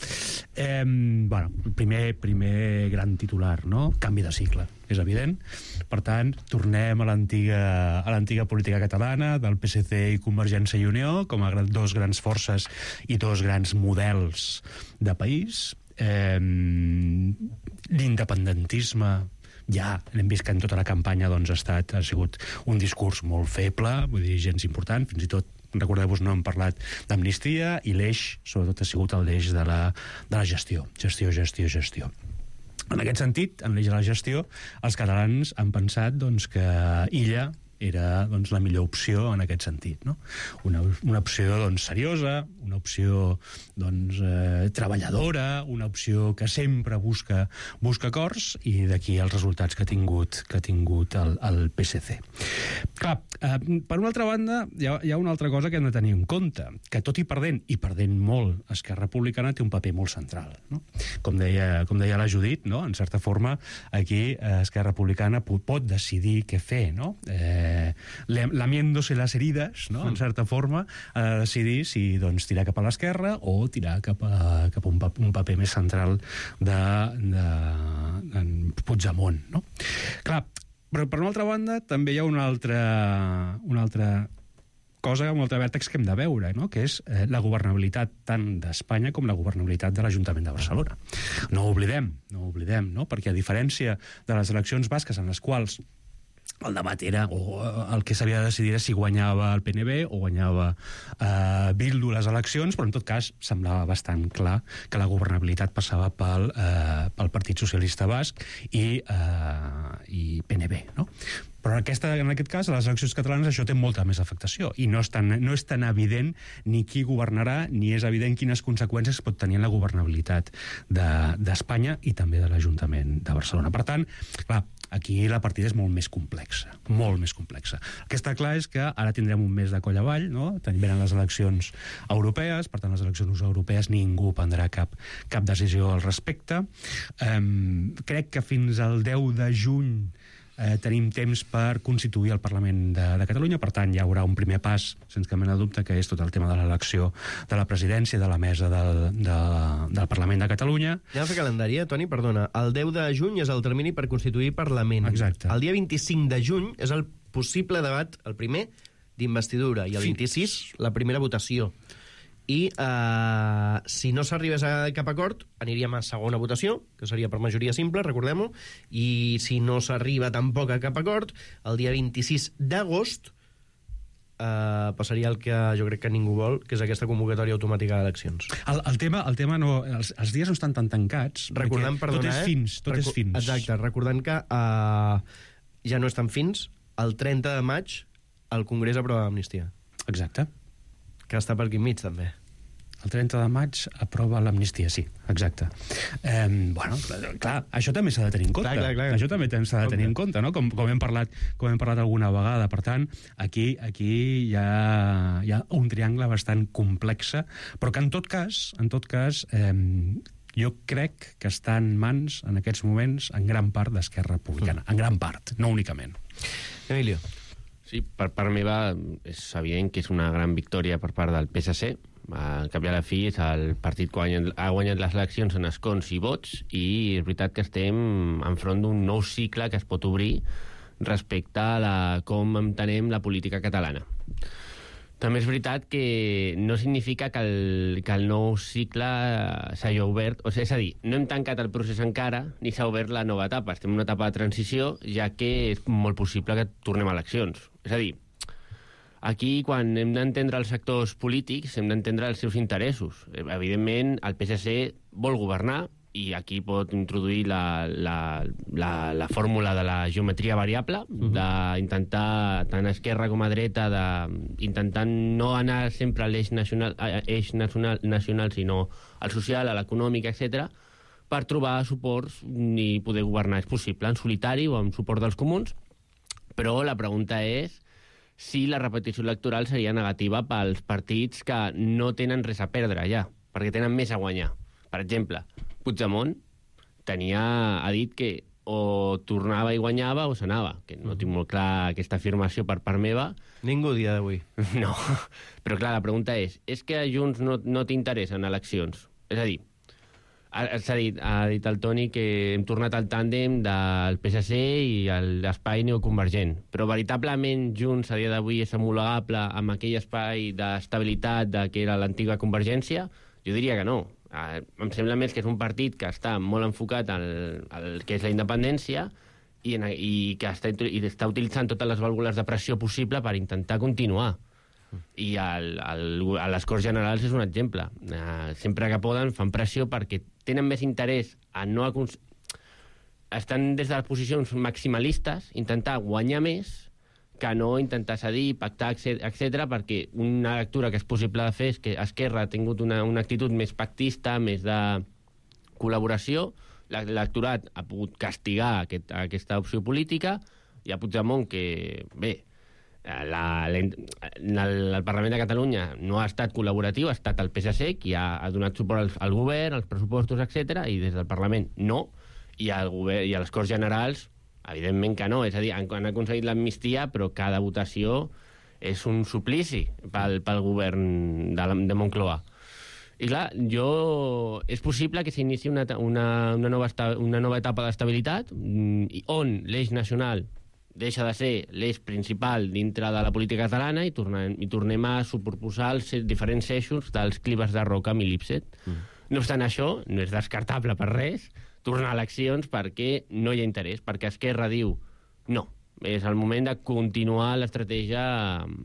Eh, bueno, primer, primer gran titular, no? Canvi de cicle, és evident. Per tant, tornem a l'antiga a l'antiga política catalana, del P S C i Convergència i Unió, com a dos grans forces i dos grans models de país. Eh, l'independentisme ja l'hem vist que en tota la campanya doncs, ha estat ha sigut un discurs molt feble, vull dir, gens important, fins i tot recordeu-vos, no hem parlat d'amnistia, i l'eix sobretot ha sigut l'eix de la, de la gestió, gestió, gestió, gestió. En aquest sentit, en l'eix de la gestió, els catalans han pensat doncs, que Illa era doncs, la millor opció en aquest sentit, no? Una, una opció doncs, seriosa, una opció doncs, eh, treballadora, una opció que sempre busca, busca acords, i d'aquí els resultats que ha tingut, que ha tingut el, el P S C. Clar, eh, per una altra banda, hi ha, hi ha una altra cosa que hem de tenir en compte, que tot i perdent, i perdent molt, Esquerra Republicana té un paper molt central, no? Com deia, com deia la Judit, no? En certa forma, aquí eh, Esquerra Republicana pot, pot decidir què fer, no? Eh, lamiéndose las heridas, no? En certa forma, a decidir si doncs, tirar cap a l'esquerra o tirar cap a, cap a un, un paper més central de, de, de Puigdemont, no? Clar, però per una altra banda també hi ha una altra, una altra cosa, un altre vèrtex que hem de veure, no? Que és eh, la governabilitat tant d'Espanya com la governabilitat de l'Ajuntament de Barcelona. No ho oblidem, no ho oblidem, no? Perquè a diferència de les eleccions basques en les quals el debat era, o el que s'havia de decidir era si guanyava el P N B o guanyava eh, Bildu les eleccions, però en tot cas semblava bastant clar que la governabilitat passava pel, eh, pel Partit Socialista Basc i, eh, i P N B, no? Però aquesta, en aquest cas, a les eleccions catalanes això té molta més afectació i no és tan, no és tan evident ni qui governarà ni és evident quines conseqüències pot tenir en la governabilitat d'Espanya de, i també de l'Ajuntament de Barcelona. Per tant, clar, aquí la partida és molt més complexa, molt més complexa. El que està clar és que ara tindrem un mes de coll avall, no? Venen les eleccions europees, per tant, les eleccions europees ningú prendrà cap, cap decisió al respecte. Um, crec que fins al deu de juny Eh, tenim temps per constituir el Parlament de, de Catalunya, per tant hi haurà un primer pas, sense cap mena de dubte, que és tot el tema de l'elecció de la presidència de la mesa del, de, del Parlament de Catalunya. Ja fer calendari, eh, Toni, perdona. El deu de juny és el termini per constituir Parlament. Exacte. El dia vint-i-cinc de juny és el possible debat, el primer, d'investidura, i el vint-i-sis, la primera votació. I eh, si no s'arribés a cap acord, aniríem a segona votació, que seria per majoria simple, recordem-ho, i si no s'arriba tampoc a cap acord, el dia vint-i-sis d'agost eh, passaria el que jo crec que ningú vol, que és aquesta convocatòria automàtica d'eleccions. El, el, tema, el tema no... Els, els dies no estan tan tancats, recordant, perdona, tot és eh? fins, tot Recu és fins. Exacte, recordant que eh, ja no estan fins, el trenta de maig el Congrés aprova l'amnistia. Exacte. Que està per aquí enmig, també. El trenta de maig aprova l'amnistia, sí, exacte. Eh, bueno, clar, això també s'ha de tenir en compte. Clar, clar, clar. Això també s'ha de tenir en compte, no? Com, com, hem parlat, com hem parlat alguna vegada. Per tant, aquí, aquí hi, ha, hi ha un triangle bastant complex, però que en tot cas, en tot cas eh, jo crec que està en mans, en aquests moments, en gran part d'Esquerra Republicana. Mm. En gran part, no únicament. Emilio. Sí, per part meva és evident que és una gran victòria per part del P S C. Al cap i a la fi és el partit que ha guanyat les eleccions en escons i vots, i és veritat que estem enfront d'un nou cicle que es pot obrir respecte a la, com entenem la política catalana. També és veritat que no significa que el, que el nou cicle s'hagi obert, o sigui, és a dir, no hem tancat el procés encara, ni s'ha obert la nova etapa. Estem en una etapa de transició, ja que és molt possible que tornem a eleccions. És a dir, aquí, quan hem d'entendre els sectors polítics, hem d'entendre els seus interessos. Evidentment, el P S C vol governar, i aquí pot introduir la, la, la, la fórmula de la geometria variable, uh-huh. d'intentar, tant a esquerra com a dreta, d'intentar no anar sempre a l'eix nacional, eix nacional, nacional, sinó al social, a l'econòmic, etcètera, per trobar suports i poder governar. És possible en solitari o amb suport dels comuns, però la pregunta és si la repetició electoral seria negativa pels partits que no tenen res a perdre ja, perquè tenen més a guanyar. Per exemple, Puigdemont tenia, ha dit que o tornava i guanyava o s'anava, que no tinc molt clar aquesta afirmació per part meva. Ningú dia d'avui. No, però clar, la pregunta és, és que a Junts no, no t'interessen eleccions? És a dir, s'ha dit, ha dit el Toni que hem tornat al tàndem del P S C i l'espai neoconvergent, però veritablement Junts a dia d'avui és homologable amb aquell espai d'estabilitat de que era l'antiga Convergència? Jo diria que no. Em sembla més que és un partit que està molt enfocat al, al que és la independència i, en, i que està, i està utilitzant totes les vàlvules de pressió possible per intentar continuar. I el, el, a les Corts Generals és un exemple. Uh, sempre que poden fan pressió perquè tenen més interès a no acons... estan des de les posicions maximalistes intentar guanyar més que no intentar cedir, pactar, etcètera, perquè una lectura que és possible de fer és que Esquerra ha tingut una, una actitud més pactista, més de col·laboració, l'electorat ha pogut castigar aquest, aquesta opció política, i a Puigdemont, que, bé, la, la, el, el Parlament de Catalunya no ha estat col·laboratiu, ha estat el P S C, qui ha, ha donat suport al, al govern, als pressupostos, etcètera, i des del Parlament no, i, al govern, i a les Corts Generals, evidentment que no. És a dir, han, han aconseguit l'amnistia, però cada votació és un suplici pel, pel govern de, de Moncloa. I clar, jo... és possible que s'inici una, una, una, nova esta, una nova etapa d'estabilitat on l'eix nacional deixa de ser l'eix principal dintre de la política catalana i tornem, i tornem a superposar els diferents eixos dels clives de Roca amb Lipset. Mm. No obstant això, no és descartable per res tornar a eleccions perquè no hi ha interès, perquè Esquerra diu no, és el moment de continuar l'estratègia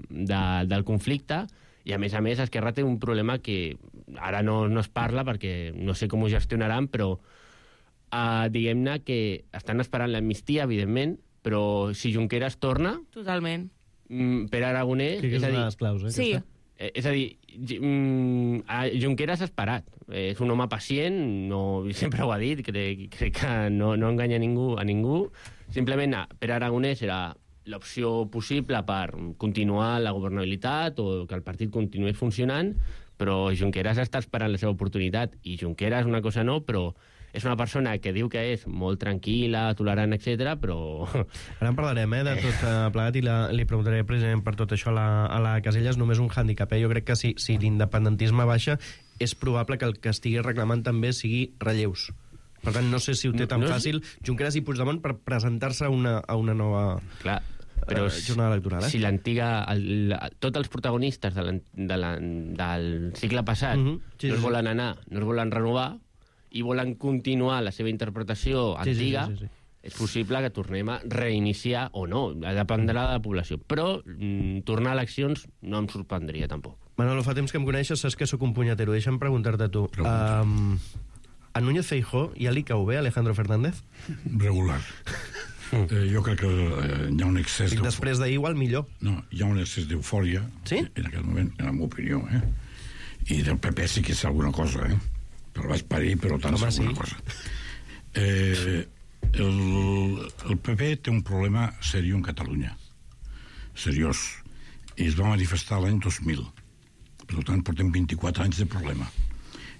de, del conflicte. I, a més a més, Esquerra té un problema que ara no, no es parla perquè no sé com ho gestionaran, però uh, diguem-ne que estan esperant l'amnistia, evidentment, però si Junqueras torna... Totalment. Mm, per Aragonès... Que és, és a dir, una de les claus, eh? Sí. Eh, és a dir, mm, Junqueras ha esperat. Eh, és un home pacient, no, sempre ho ha dit, crec, crec que no, no enganya a ningú, a ningú. Simplement, per Aragonès era l'opció possible per continuar la governabilitat o que el partit continués funcionant, però Junqueras està esperant la seva oportunitat, i Junqueras una cosa no, però és una persona que diu que és molt tranquil·la, tolerant, etcètera, però... Ara en parlarem, eh, de tot uh, plegat, i la, li preguntaré precisament per tot això a la, a la Casellas. Només un hàndicap, eh? Jo crec que si, si l'independentisme baixa, és probable que el que estigui reclamant també sigui relleus. Per tant, no sé si ho té tan no, no fàcil Junqueras i Puigdemont per presentar-se a una, a una nova... Clar, però uh, jornada electoral, eh? Si l'antiga... Tots els protagonistes de la, de la, del cicle passat uh -huh. sí, no es volen anar, no es volen renovar, i volen continuar la seva interpretació antiga, sí, sí, sí, sí. És possible que tornem a reiniciar, o no, dependrà de la població. Però mm, tornar a eleccions no em sorprendria, tampoc. Manolo, fa temps que em coneixes, saps que sóc un punyatero. Deixa'm preguntar-te a tu. Um, a Núñez Feijóo ja li cau bé Alejandro Fernández? Regular. eh, jo crec que eh, hi ha un excés... I després d'ahir igual millor. No, hi ha un excés d'eufòria, sí? En aquest moment, en la meva opinió, eh? I del P P sí que és alguna cosa, eh? Però vaig parir, però tant és alguna sí. cosa. Eh, el, el P P té un problema seriós en Catalunya. Seriós. I es va manifestar l'any dos mil. Per tant, portem vint-i-quatre anys de problema.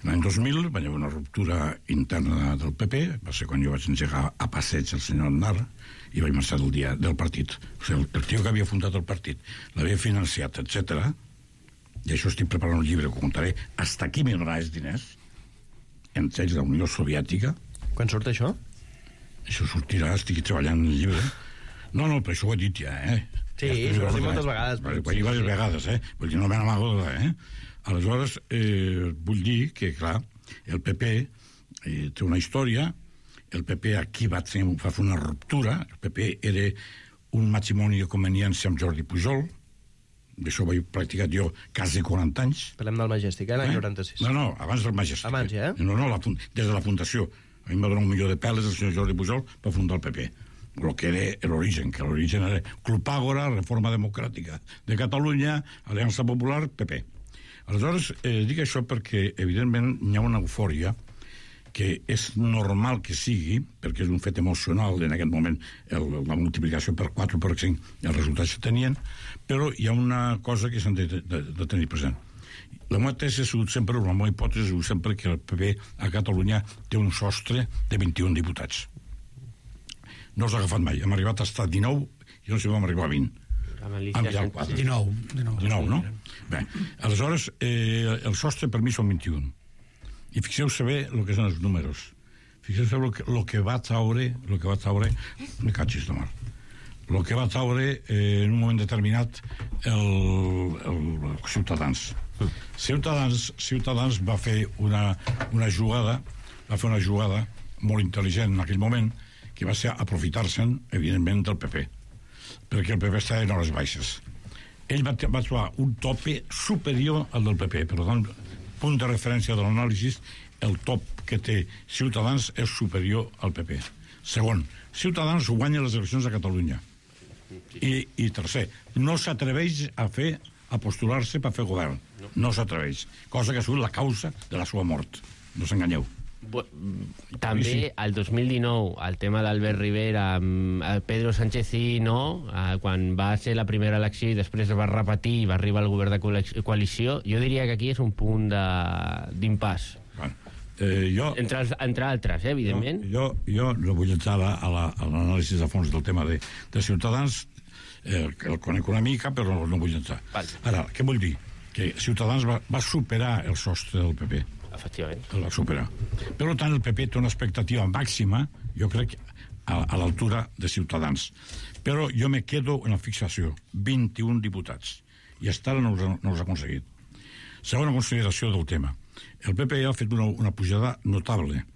L'any dos mil va haver una ruptura interna del P P, va ser quan jo vaig engegar a passeig el senyor Aznar i vaig marxar del dia del partit. O sigui, el, el tio que havia fundat el partit l'havia financiat, etcètera. I això estic preparant un llibre que contaré. Hasta aquí me donaràs diners, entre ells la Unió Soviètica. Quan surt això? Això sortirà, estic treballant en el llibre. No, no, però això ho he dit ja, eh? Sí, ja això ho he dit moltes vegades. Ho he dit diverses vegades, eh? Vull dir, no me n'amago, eh? Aleshores, eh, vull dir que, clar, el P P eh, té una història, el P P aquí va, fer, va fer una ruptura, el P P era un matrimoni de conveniència amb Jordi Pujol, d'això ho he practicat jo quasi quaranta anys. Parlem del Majestic, eh, l'any noranta-sis. No, no, abans del Majestic. Abans, ja, eh? No, no, la, des de la fundació. A mi em va donar un milió de peles el senyor Jordi Pujol per fundar el P P. El que era l'origen, que l'origen era Club Àgora, Reforma Democràtica de Catalunya, Aliança Popular, P P. Aleshores, eh, dic això perquè, evidentment, hi ha una eufòria que és normal que sigui, perquè és un fet emocional en aquest moment, el, la multiplicació per quatre per cinc, els resultats que tenien, però hi ha una cosa que s'han de, de, de tenir present. La meva tesi ha sigut sempre, la meva hipòtesi ha sigut sempre que el P P a Catalunya té un sostre de vint-i-un diputats. No s'ha agafat mai. Hem arribat a estar dinou i no sé si vam arribar a vint. dinou. dinou, no? Bé, aleshores, eh, el sostre per mi són vint-i-un. I fixeu-se bé el que són els números. Fixeu-se bé el que, lo que va traure, lo que va traure, me catxis de mar, el que va traure eh, en un moment determinat el, el, el Ciutadans. Ciutadans. Ciutadans va fer una, una jugada, va fer una jugada molt intel·ligent en aquell moment, que va ser aprofitar-se'n, evidentment, del P P, perquè el P P estava en hores baixes. Ell va, va trobar un tope superior al del P P, per tant, punt de referència de l'anàlisi, el top que té Ciutadans és superior al P P. Segon, Ciutadans guanya les eleccions a Catalunya. I, i tercer, no s'atreveix a fer a postular-se per fer govern. No s'atreveix. Cosa que ha sigut la causa de la seva mort. No s'enganyeu. També, sí, sí. El dos mil dinou, el tema d'Albert Rivera, el Pedro Sánchez i no, quan va ser la primera elecció i després va repetir i va arribar al govern de coalició, jo diria que aquí és un punt d'impàs. Bueno, eh, jo, entre, entre altres, eh, evidentment. Jo, jo, jo no vull entrar a l'anàlisi a fons del tema de, de Ciutadans, eh, el conec una mica, però no, no vull entrar. Vale. Ara, què vull dir? Que Ciutadans va, va superar el sostre del P P. Efectivament. El va superar. Per tant, el P P té una expectativa màxima, jo crec, a, a l'altura de Ciutadans. Però jo me quedo en la fixació. vint-i-un diputats. I fins ara no us, no us ha aconseguit. Segona consideració del tema. El P P ha fet una, una pujada notable,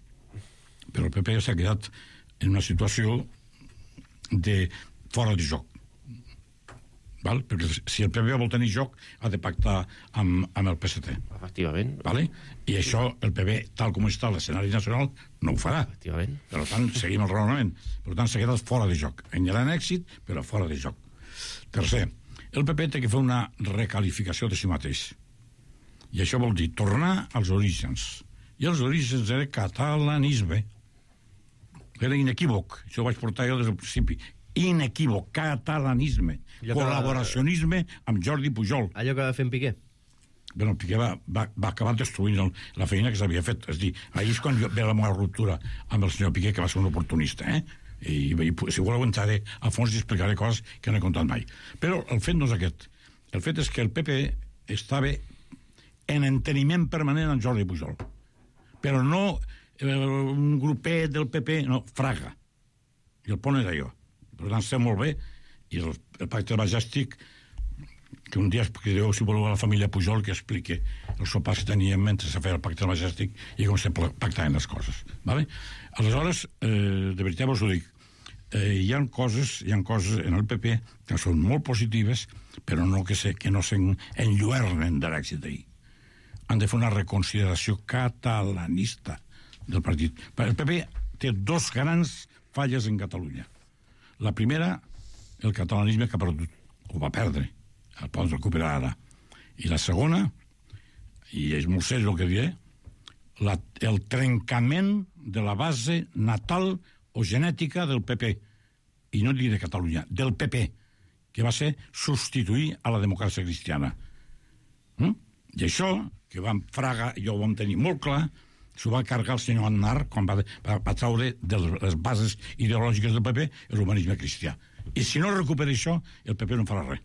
però el P P s'ha quedat en una situació de fora de joc. Val? Perquè si el P P vol tenir joc ha de pactar amb, amb el P S T. Efectivament. Vale? I això el P P, tal com està l'escenari nacional, no ho farà. Efectivament. Per tant, seguim el raonament. Per tant, s'ha quedat fora de joc. En gran èxit, però fora de joc. Tercer, el P P té que fer una recalificació de si mateix. I això vol dir tornar als orígens. I els orígens era catalanisme. Era inequívoc. Això ho vaig portar jo des del principi. Inequívoc, catalanisme, col·laboracionisme amb Jordi Pujol. Allò que va fer en Piqué. Bueno, Piqué va, va, va acabar destruint el, la feina que s'havia fet. És dir, ahir és quan ve la meva ruptura amb el senyor Piqué, que va ser un oportunista, eh? I, i si voleu entraré a fons i explicaré coses que no he contat mai. Però el fet no és aquest. El fet és que el P P estava en enteniment permanent amb Jordi Pujol. Però no eh, un grupet del P P, no, Fraga. I el pont era jo. Per tant, sé molt bé, i el, el pacte majèstic, que un dia expliqueu, si voleu, a la família Pujol, que expliqui els sopars que teníem mentre se feia el pacte majèstic i com se pactaven les coses. Vale? Aleshores, eh, de veritat vos ho dic, eh, hi ha coses hi ha coses en el P P que són molt positives, però no que, se, que no s'enlluernen de l'èxit d'ahir. Han de fer una reconsideració catalanista del partit. El P P té dos grans falles en Catalunya. La primera, el catalanisme que ha perdut, o va perdre, el pot recuperar ara. I la segona, i és molt seriós el que diré, la, el trencament de la base natal o genètica del P P, i no diré de Catalunya, del P P, que va ser substituir a la democràcia cristiana. Mm? I això, que vam Fraga, i jo ho vam tenir molt clar, s'ho va carregar el senyor Aznar quan va, va, va traure de les bases ideològiques del P P l'humanisme cristià. I si no recupera això, el P P no farà res.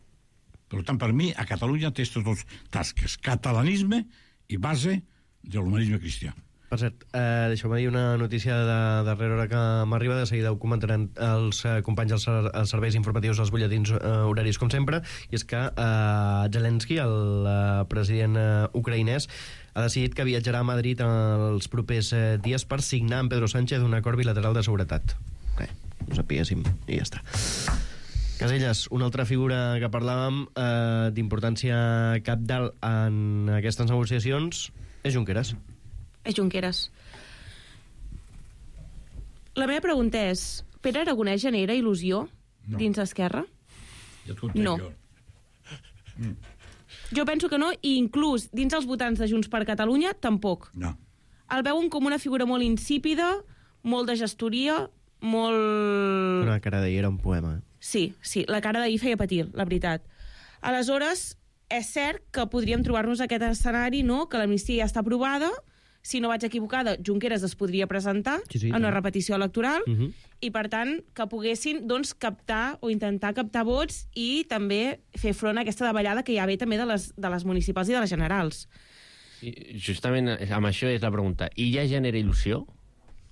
Per tant, per mi, a Catalunya té aquestes dues tasques, catalanisme i base de l'humanisme cristià. Per cert, eh, deixeu-me dir una notícia de darrera hora que m'arriba, de seguida ho comentaran els eh, companys dels, els serveis informatius dels butlletins eh, horaris, com sempre, i és que eh, Zelensky, el eh, president eh, ucraïnès, ha decidit que viatjarà a Madrid els propers eh, dies per signar amb Pedro Sánchez un acord bilateral de seguretat. Bé, ho sapiguéssim, i ja està. Casellas, una altra figura que parlàvem eh, d'importància cabdal en aquestes negociacions és Junqueras. És Junqueras. La meva pregunta és, Pere Aragonès genera il·lusió no. dins Esquerra? Ja no. Mm. Jo penso que no, i inclús dins els votants de Junts per Catalunya tampoc. No. El veuen com una figura molt insípida, molt de gestoria, molt... Una cara d'ahir era un poema. Sí, sí, la cara d'ahir feia patir, la veritat. Aleshores, és cert que podríem trobar-nos aquest escenari, no?, que l'amnistia ja està aprovada, si no vaig equivocada, Junqueras es podria presentar sí, sí, en una repetició electoral, uh -huh. i per tant que poguessin doncs, captar o intentar captar vots i també fer front a aquesta davallada que ja ve també de les, de les municipals i de les generals. Sí, justament amb això és la pregunta. I ja genera il·lusió?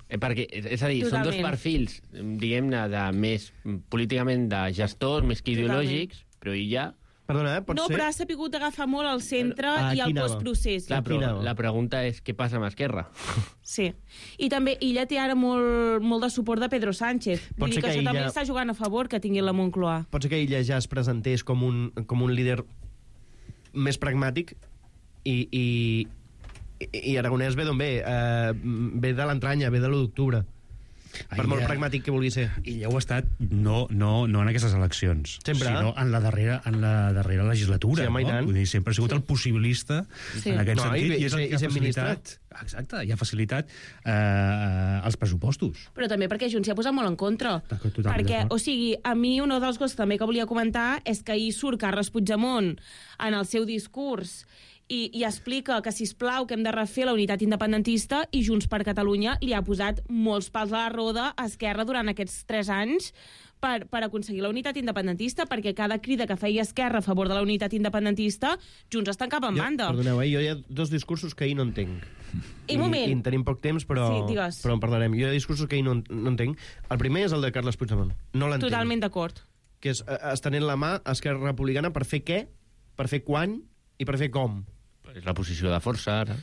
Eh, perquè, és a dir, Totalment. Són dos perfils, diguem-ne, de més políticament de gestors, més que ideològics, Totalment. Però i ja... Perdona, eh? Pot no, ser? però ha sapigut agafar molt al centre ah, i al postprocés. Clar, però la pregunta és què passa amb Esquerra? Sí. I també ella té ara molt, molt de suport de Pedro Sánchez. Vull dir que, que això ella... també està jugant a favor que tingui la Moncloa. Pot ser que ella ja es presentés com un, com un líder més pragmàtic i, i, i Aragonès ve d'on ve? Uh, ve de l'entranya, ve de l'u d'octubre. Per molt pragmàtic que vulgui ser. I ja ho ha estat, no, no, no en aquestes eleccions, Sempre. sinó en la darrera, en la darrera legislatura. Sí, home, i no? tant. Vull dir, sempre ha sigut el possibilista Sí. en aquest No, sentit, i- i, és el i que ha ser facilitat... Exacte, i ha facilitat eh, els pressupostos. Però també perquè Junts s'hi ha posat molt en contra. Totalment Perquè, d'acord. o sigui, a mi una dels coses també que volia comentar és que ahir surt Carles Puigdemont en el seu discurs i, i explica que, sisplau, que hem de refer la unitat independentista, i Junts per Catalunya li ha posat molts pals a la roda a Esquerra durant aquests tres anys per, per aconseguir la unitat independentista, perquè cada crida que feia Esquerra a favor de la unitat independentista, Junts està en cap en banda. Perdoneu, eh? Jo hi ha dos discursos que ahir no entenc. I, un moment. I en tenim poc temps, però, Sí, digues. però en parlarem. Jo hi ha discursos que ahir no, no entenc. El primer és el de Carles Puigdemont. No l'entenc. Totalment d'acord. Que és eh, estenent la mà a Esquerra Republicana per fer què, per fer quan i per fer com. És la posició de força, ara.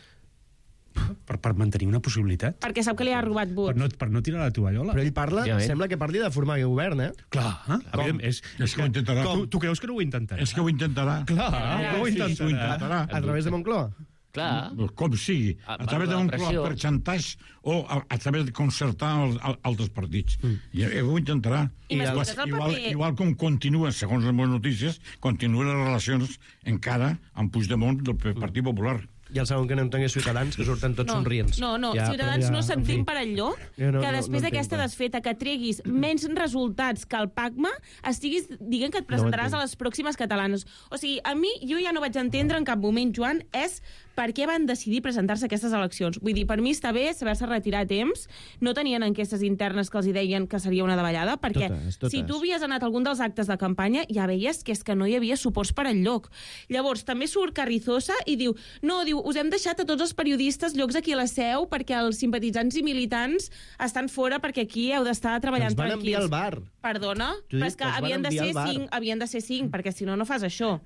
Per, per mantenir una possibilitat. Perquè sap que li ha robat Per vots. no, per no tirar la tovallola. Però ell parla, Ja, eh? sembla que parli de formar govern, eh? Clar, eh? Com? És, És que ho intentarà. Tu, tu creus que no ho intentarà? És que ho intentarà. Clar, Ah, ho sí, intentarà. ho intentarà. A través de Moncloa. Clar. Com sigui, A- a través de per la un pressió. per xantatge o a, a través de concertar el, el, altres partits. Mm. I eh, ho intentarà. I igual, m'expliques el igual, paper? igual com continua, segons les meves notícies, continuen les relacions encara amb Puigdemont del P- Partit Popular. I el segon que no entenc és Ciutadans, que surten tots No, somrients. no, no, Ja, Ciutadans però no en sentim fi. per allò Jo no- que no- després no d'aquesta entenc, desfeta que treguis menys resultats que el PACMA estiguis dient que et presentaràs entenc. a les pròximes catalanes. O sigui, a mi, jo ja no vaig entendre en cap moment, Joan, és per què van decidir presentar-se a aquestes eleccions. Vull dir, per mi està bé saber-se retirar a temps, no tenien enquestes internes que els hi deien que seria una davallada, perquè Totes, totes. si tu havies anat a algun dels actes de campanya, ja veies que és que no hi havia suports per enlloc. Llavors, també surt Carrizosa i diu, no, diu, us hem deixat a tots els periodistes llocs aquí a la seu perquè els simpatitzants i militants estan fora perquè aquí heu d'estar treballant Ens van tranquils. enviar al bar. Perdona? Judit, Però és que ens van havien de, enviar ser al bar. cinc, havien de ser cinc, perquè si no, no fas això.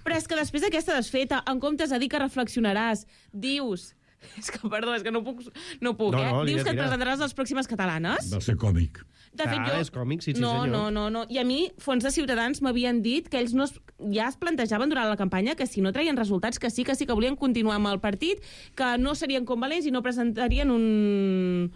Però és que després d'aquesta desfeta, en comptes de dir que reflexionaràs, dius... És que, perdó, és que no puc, no puc No, eh? no, Dius digues, que et mira. presentaràs a les pròximes catalanes? Del ser còmic. De fet, Ah, jo... és còmic, sí, sí, no, senyor. no, no, no. I a mi, fons de Ciutadans m'havien dit que ells no es, ja es plantejaven durant la campanya que si no traien resultats, que sí, que sí que volien continuar amb el partit, que no serien convalents i no presentarien un...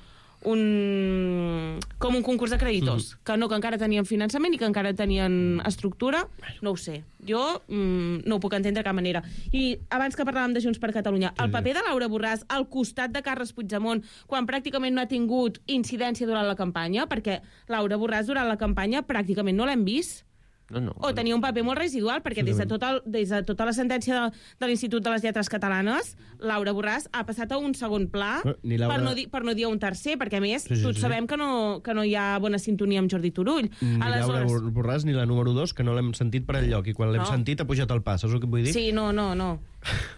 un com un concurs de creditors, mm. que no, que encara tenien finançament i que encara tenien estructura, no ho sé. Jo mm, no ho puc entendre de cap manera. I abans que parlàvem de Junts per Catalunya, el paper de Laura Borràs al costat de Carles Puigdemont, quan pràcticament no ha tingut incidència durant la campanya, perquè Laura Borràs durant la campanya pràcticament no l'hem vist. No, no. O tenia un paper molt residual, perquè des de, tot el, des de tota la sentència de, de l'Institut de les Lletres Catalanes, Laura Borràs ha passat a un segon pla, No, ni Laura- per, no dir, per no dir a un tercer, perquè a més Sí, sí, tots sí. sabem que no, que no hi ha bona sintonia amb Jordi Turull. Ni Laura Aleshores, Borràs ni la número dos, que no l'hem sentit per enlloc, i quan l'hem No. sentit ha pujat el pas, saps el que vull dir? sí, no, no, no.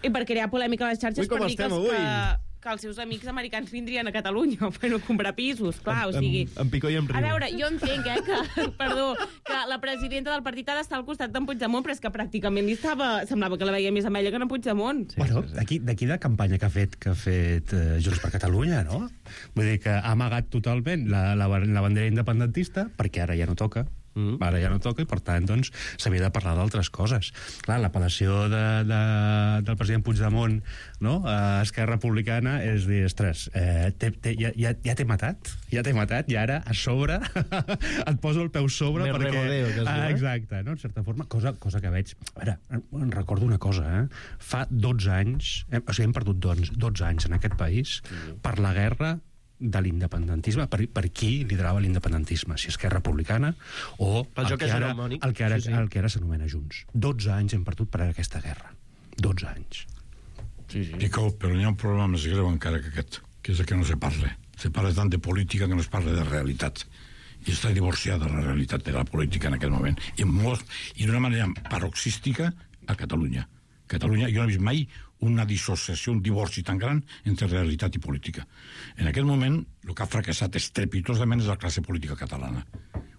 I per crear polèmica a les xarxes, Ui, com per dir que, estem els, avui? que, que els seus amics americans vindrien a Catalunya per no comprar pisos, clar, o sigui... En, en Picó i en A Riu. veure, jo entenc, eh, que, perdó, que la presidenta del partit ha d'estar al costat d'en Puigdemont, però és que pràcticament li estava, semblava que la veia més amb ella que en Puigdemont. Sí, bueno, d'aquí d'aquí de campanya que ha fet que ha fet eh, Junts per Catalunya, no? Vull dir que ha amagat totalment la, la, la bandera independentista, perquè ara ja no toca, mm. ara ja no toca, i per tant, doncs, s'havia de parlar d'altres coses. Clar, l'apel·lació de, de, del president Puigdemont, no?, a Esquerra Republicana és dir, ostres, eh, te, te, ja, ja, ja t'he matat, ja t'he matat, i ara, a sobre, et poso el peu sobre Més perquè... regodeo, que es diu, ah, eh? exacte, no?, en certa forma, cosa, cosa que veig... A veure, em recordo una cosa, eh? Fa dotze anys, eh, o sigui, hem perdut doncs, dotze anys en aquest país per la guerra de l'independentisme, per, per qui liderava l'independentisme, si Esquerra Republicana o Pel el joc que, ara, hegemònic. el que ara, Sí, sí. el que ara s'anomena Junts. dotze anys hem perdut per aquesta guerra. dotze anys. Sí, sí. Picó, però hi ha un problema més greu encara que aquest, que és el que no se parla. Se parla tant de política que no es parla de realitat. I està divorciada la realitat de la política en aquest moment. I, molt, i d'una manera paroxística a Catalunya. Catalunya, jo no he vist mai una dissociació, un divorci tan gran entre realitat i política. En aquest moment, el que ha fracassat estrepitosament és la classe política catalana.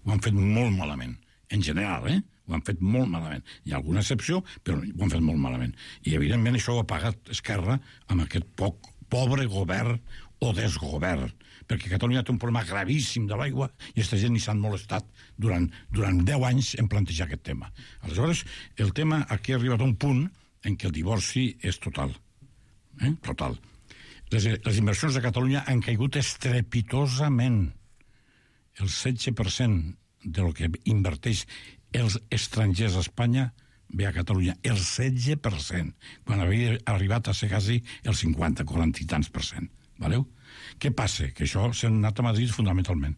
Ho han fet molt malament. En general, eh? Ho han fet molt malament. Hi ha alguna excepció, però ho han fet molt malament. I, evidentment, això ho ha pagat Esquerra amb aquest poc, pobre govern o desgovern, perquè Catalunya té un problema gravíssim de l'aigua i aquesta gent ni s'han molestat durant, durant deu anys en plantejar aquest tema. Aleshores, el tema aquí ha arribat a un punt en què el divorci és total. Eh? Total. Les, les inversions de Catalunya han caigut estrepitosament. el setze per cent del que inverteix els estrangers a Espanya ve a Catalunya, el setze per cent, quan havia arribat a ser quasi el cinquanta, quaranta i tants per cent. Valeu? Què passa? Que això s'ha anat a Madrid fundamentalment.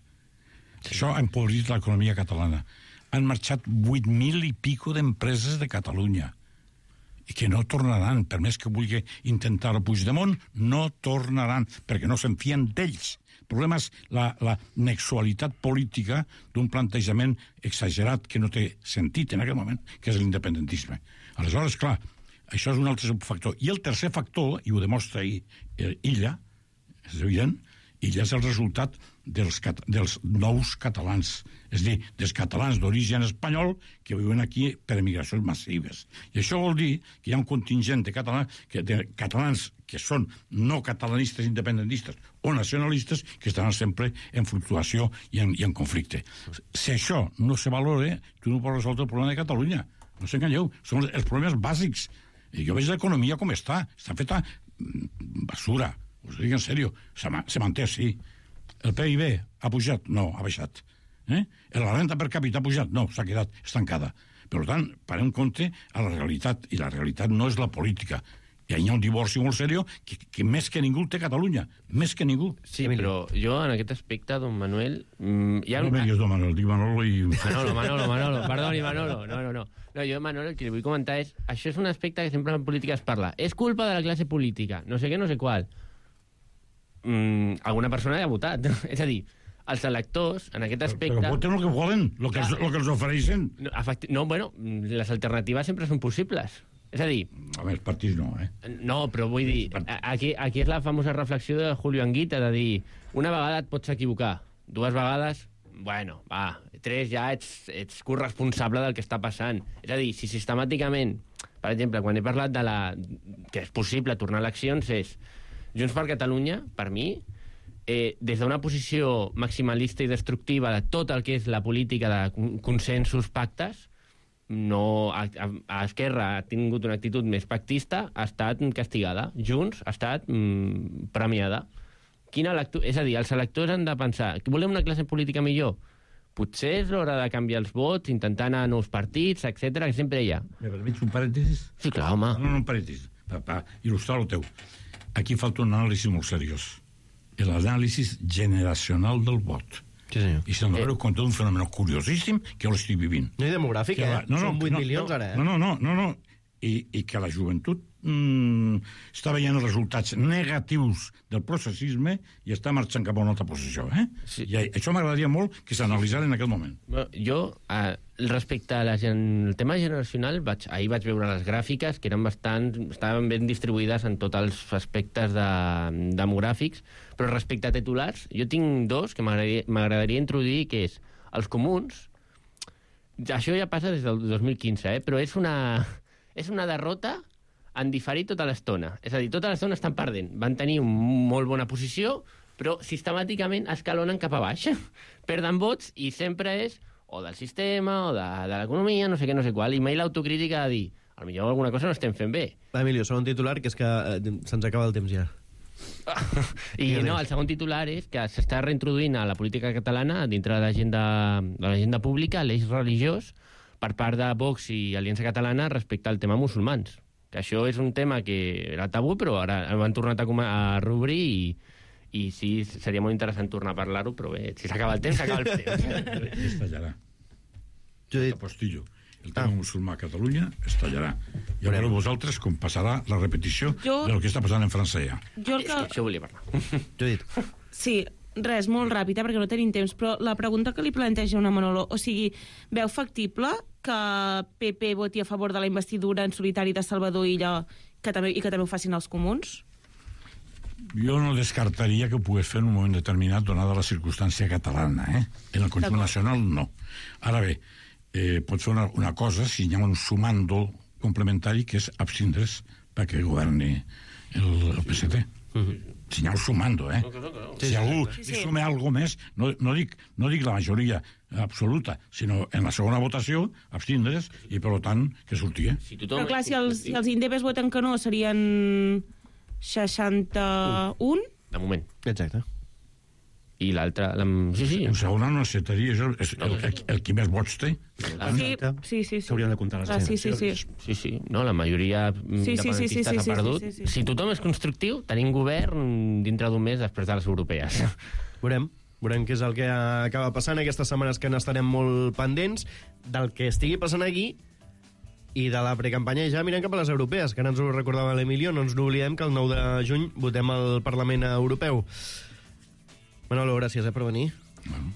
Sí. Això ha empobrit l'economia catalana. Han marxat vuit mil i pico d'empreses de Catalunya i que no tornaran, per més que vulgui intentar-ho Puigdemont, no tornaran, perquè no se'n fien d'ells. El problema és la, la nexualitat política d'un plantejament exagerat que no té sentit en aquest moment, que és l'independentisme. Aleshores, clar, això és un altre factor. I el tercer factor, i ho demostra ahir, Illa, és evident, Illa és el resultat dels, cat dels nous catalans, és a dir, dels catalans d'origen espanyol que viuen aquí per emigracions massives. I això vol dir que hi ha un contingent de catalans que, de catalans que són no catalanistes, independentistes o nacionalistes que estaran sempre en fluctuació i en, i en conflicte. Si això no se valora, tu no pots resoldre el problema de Catalunya. No s'enganyeu, són els problemes bàsics. I jo veig l'economia com està. Està feta basura. Us ho dic en sèrio. Se, ma se manté així. El P I B ha pujat? No, ha baixat. Eh? La renta per càpita ha pujat? No, s'ha quedat estancada. Per tant, parem compte a la realitat, i la realitat no és la política. I hi ha un divorci molt seriós que, que més que ningú té Catalunya. Més que ningú. Sí, però jo en aquest aspecte, don Manuel... Mmm, ha... No me digues don Manuel, dic Manolo i... Manolo, Manolo, Manolo, perdoni, Manolo. No, no, no. No, jo, Manolo, el que li vull comentar és... Això és un aspecte que sempre en política es parla. És culpa de la classe política, no sé què, no sé qual. Mm, alguna persona ha votat. És a dir, els electors, en aquest aspecte... Però voten el que volen, el que, els, el que els ofereixen. No, efecti... no, bueno, les alternatives sempre són possibles. És a dir... A més, partits no, eh? No, però vull dir... Aquí, aquí és la famosa reflexió de Julio Anguita, de dir, una vegada et pots equivocar, dues vegades, bueno, va, tres ja ets, ets corresponsable del que està passant. És a dir, si sistemàticament, per exemple, quan he parlat de la... que és possible tornar a eleccions, és... Junts per Catalunya, per mi, eh, des d'una posició maximalista i destructiva de tot el que és la política de consensos, pactes, no, a, a, a Esquerra ha tingut una actitud més pactista, ha estat castigada. Junts ha estat mm, premiada. Quina lectura... És a dir, els electors han de pensar que volem una classe política millor. Potser és l'hora de canviar els vots, intentar anar a nous partits, etcètera, que sempre hi ha. Me permets un parèntesis? Sí, clar, home. No, no, un parèntesis, per, per il·lustrar el teu. Aquí falta un anàlisi molt seriós. L'anàlisi generacional del vot. Sí, senyor. I se'n donareu compte d'un fenomen curiosíssim que jo l'estic vivint. No, i demogràfic, eh? La... No, no, Són vuit no, milions, no, ara, eh? No, no, no, no, no. I, i que la joventut mm, està veient els resultats negatius del processisme i està marxant cap a una altra posició, eh? Sí. I això m'agradaria molt que s'analitzara en aquest moment. Bueno, jo, eh, respecte al el tema generacional, vaig, ahir vaig veure les gràfiques, que eren bastant, estaven ben distribuïdes en tots els aspectes de, demogràfics, però respecte a titulars, jo tinc dos que m'agradaria introduir, que és els comuns. Això ja passa des del dos mil quinze, eh? Però és una... és una derrota en diferit tota l'estona. És a dir, tota l'estona estan perdent. Van tenir una molt bona posició, però sistemàticament escalonen cap a baix. Perden vots i sempre és o del sistema o de, de l'economia, no sé què, no sé qual. I mai l'autocrítica de dir, potser alguna cosa no estem fent bé. Va, Emilio, segon titular, que és que eh, se'ns acaba el temps ja. I no, el segon titular és que s'està reintroduint a la política catalana, dintre de l'agenda pública, l'eix religiós, per part de Vox i Aliança Catalana respecte al tema musulmans. Que això és un tema que era tabú, però ara ho han tornat a, a reobrir i, i sí, seria molt interessant tornar a parlar-ho, però bé, si s'acaba el temps, s'acaba el temps. Estallarà. Apostillo. El tema ah. musulmà a Catalunya estallarà. I a veure vosaltres com passarà la repetició jo... del que està passant en França ja. Jo el que... Això volia parlar. Judit. Sí, res, molt ràpid, eh, perquè no tenim temps, però la pregunta que li planteja una Manolo, o sigui, veu factible que P P voti a favor de la investidura en solitari de Salvador Illa que també, i que també ho facin els comuns? Jo no descartaria que ho pogués fer en un moment determinat donada la circumstància catalana, eh? En el conjunt nacional, no. Ara bé, eh, pot fer una, una cosa si hi ha un sumando complementari que és abstindre's perquè governi el, el P S T. Uh-huh. Si n'hi ha un sumando, eh? Si algú li sume alguna més, no, no, dic, no dic la majoria absoluta, sinó en la segona votació, abstindre's, i per tant, que surti, eh? Si però clar, si els, si els indepes voten que no, serien seixanta-un? De moment. Exacte. I l'altre... La... Sí, sí. En segona no acceptaria, és el, és el, el, el qui més vots té. Sí, sí, sí. S'haurien de comptar les ah, sí, sí, sí. Sí, sí. No, la majoria sí, sí, sí, sí, sí, s'ha sí, perdut. sí, sí, sí. Si tothom és constructiu, tenim govern dintre d'un mes després de les europees. Veurem. Veurem què és el que acaba passant aquestes setmanes que n'estarem molt pendents del que estigui passant aquí i de la precampanya ja mirem cap a les europees, que ara ens ho recordava l'Emilio, no ens n'oblidem que el nou de juny votem al Parlament Europeu. Manolo, gràcies eh, per venir. Bueno.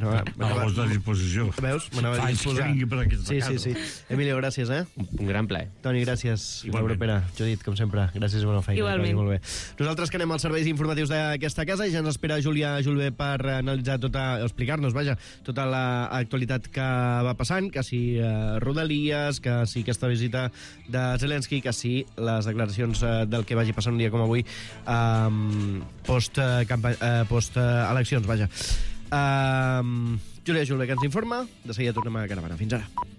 No, a la vostra disposició. Veus? M'anava a disposar. Per aquesta sí, sí, sí. Emilio, gràcies, eh? Un gran plaer. Toni, gràcies. L'Europera. Judit, com sempre. Gràcies i bona feina. Igualment. Molt bé. Nosaltres que anem als serveis informatius d'aquesta casa i ja ens espera Júlia Julbé per analitzar tota, explicar-nos, vaja, tota l'actualitat que va passant, que si eh, Rodalies, que si aquesta visita de Zelensky, que si les declaracions eh, del que vagi passant un dia com avui eh, post, eh, eh, post eh, eleccions, vaja. Uh, Júlia Julbé, que ens informa. De seguida tornem a Caravana. Fins ara.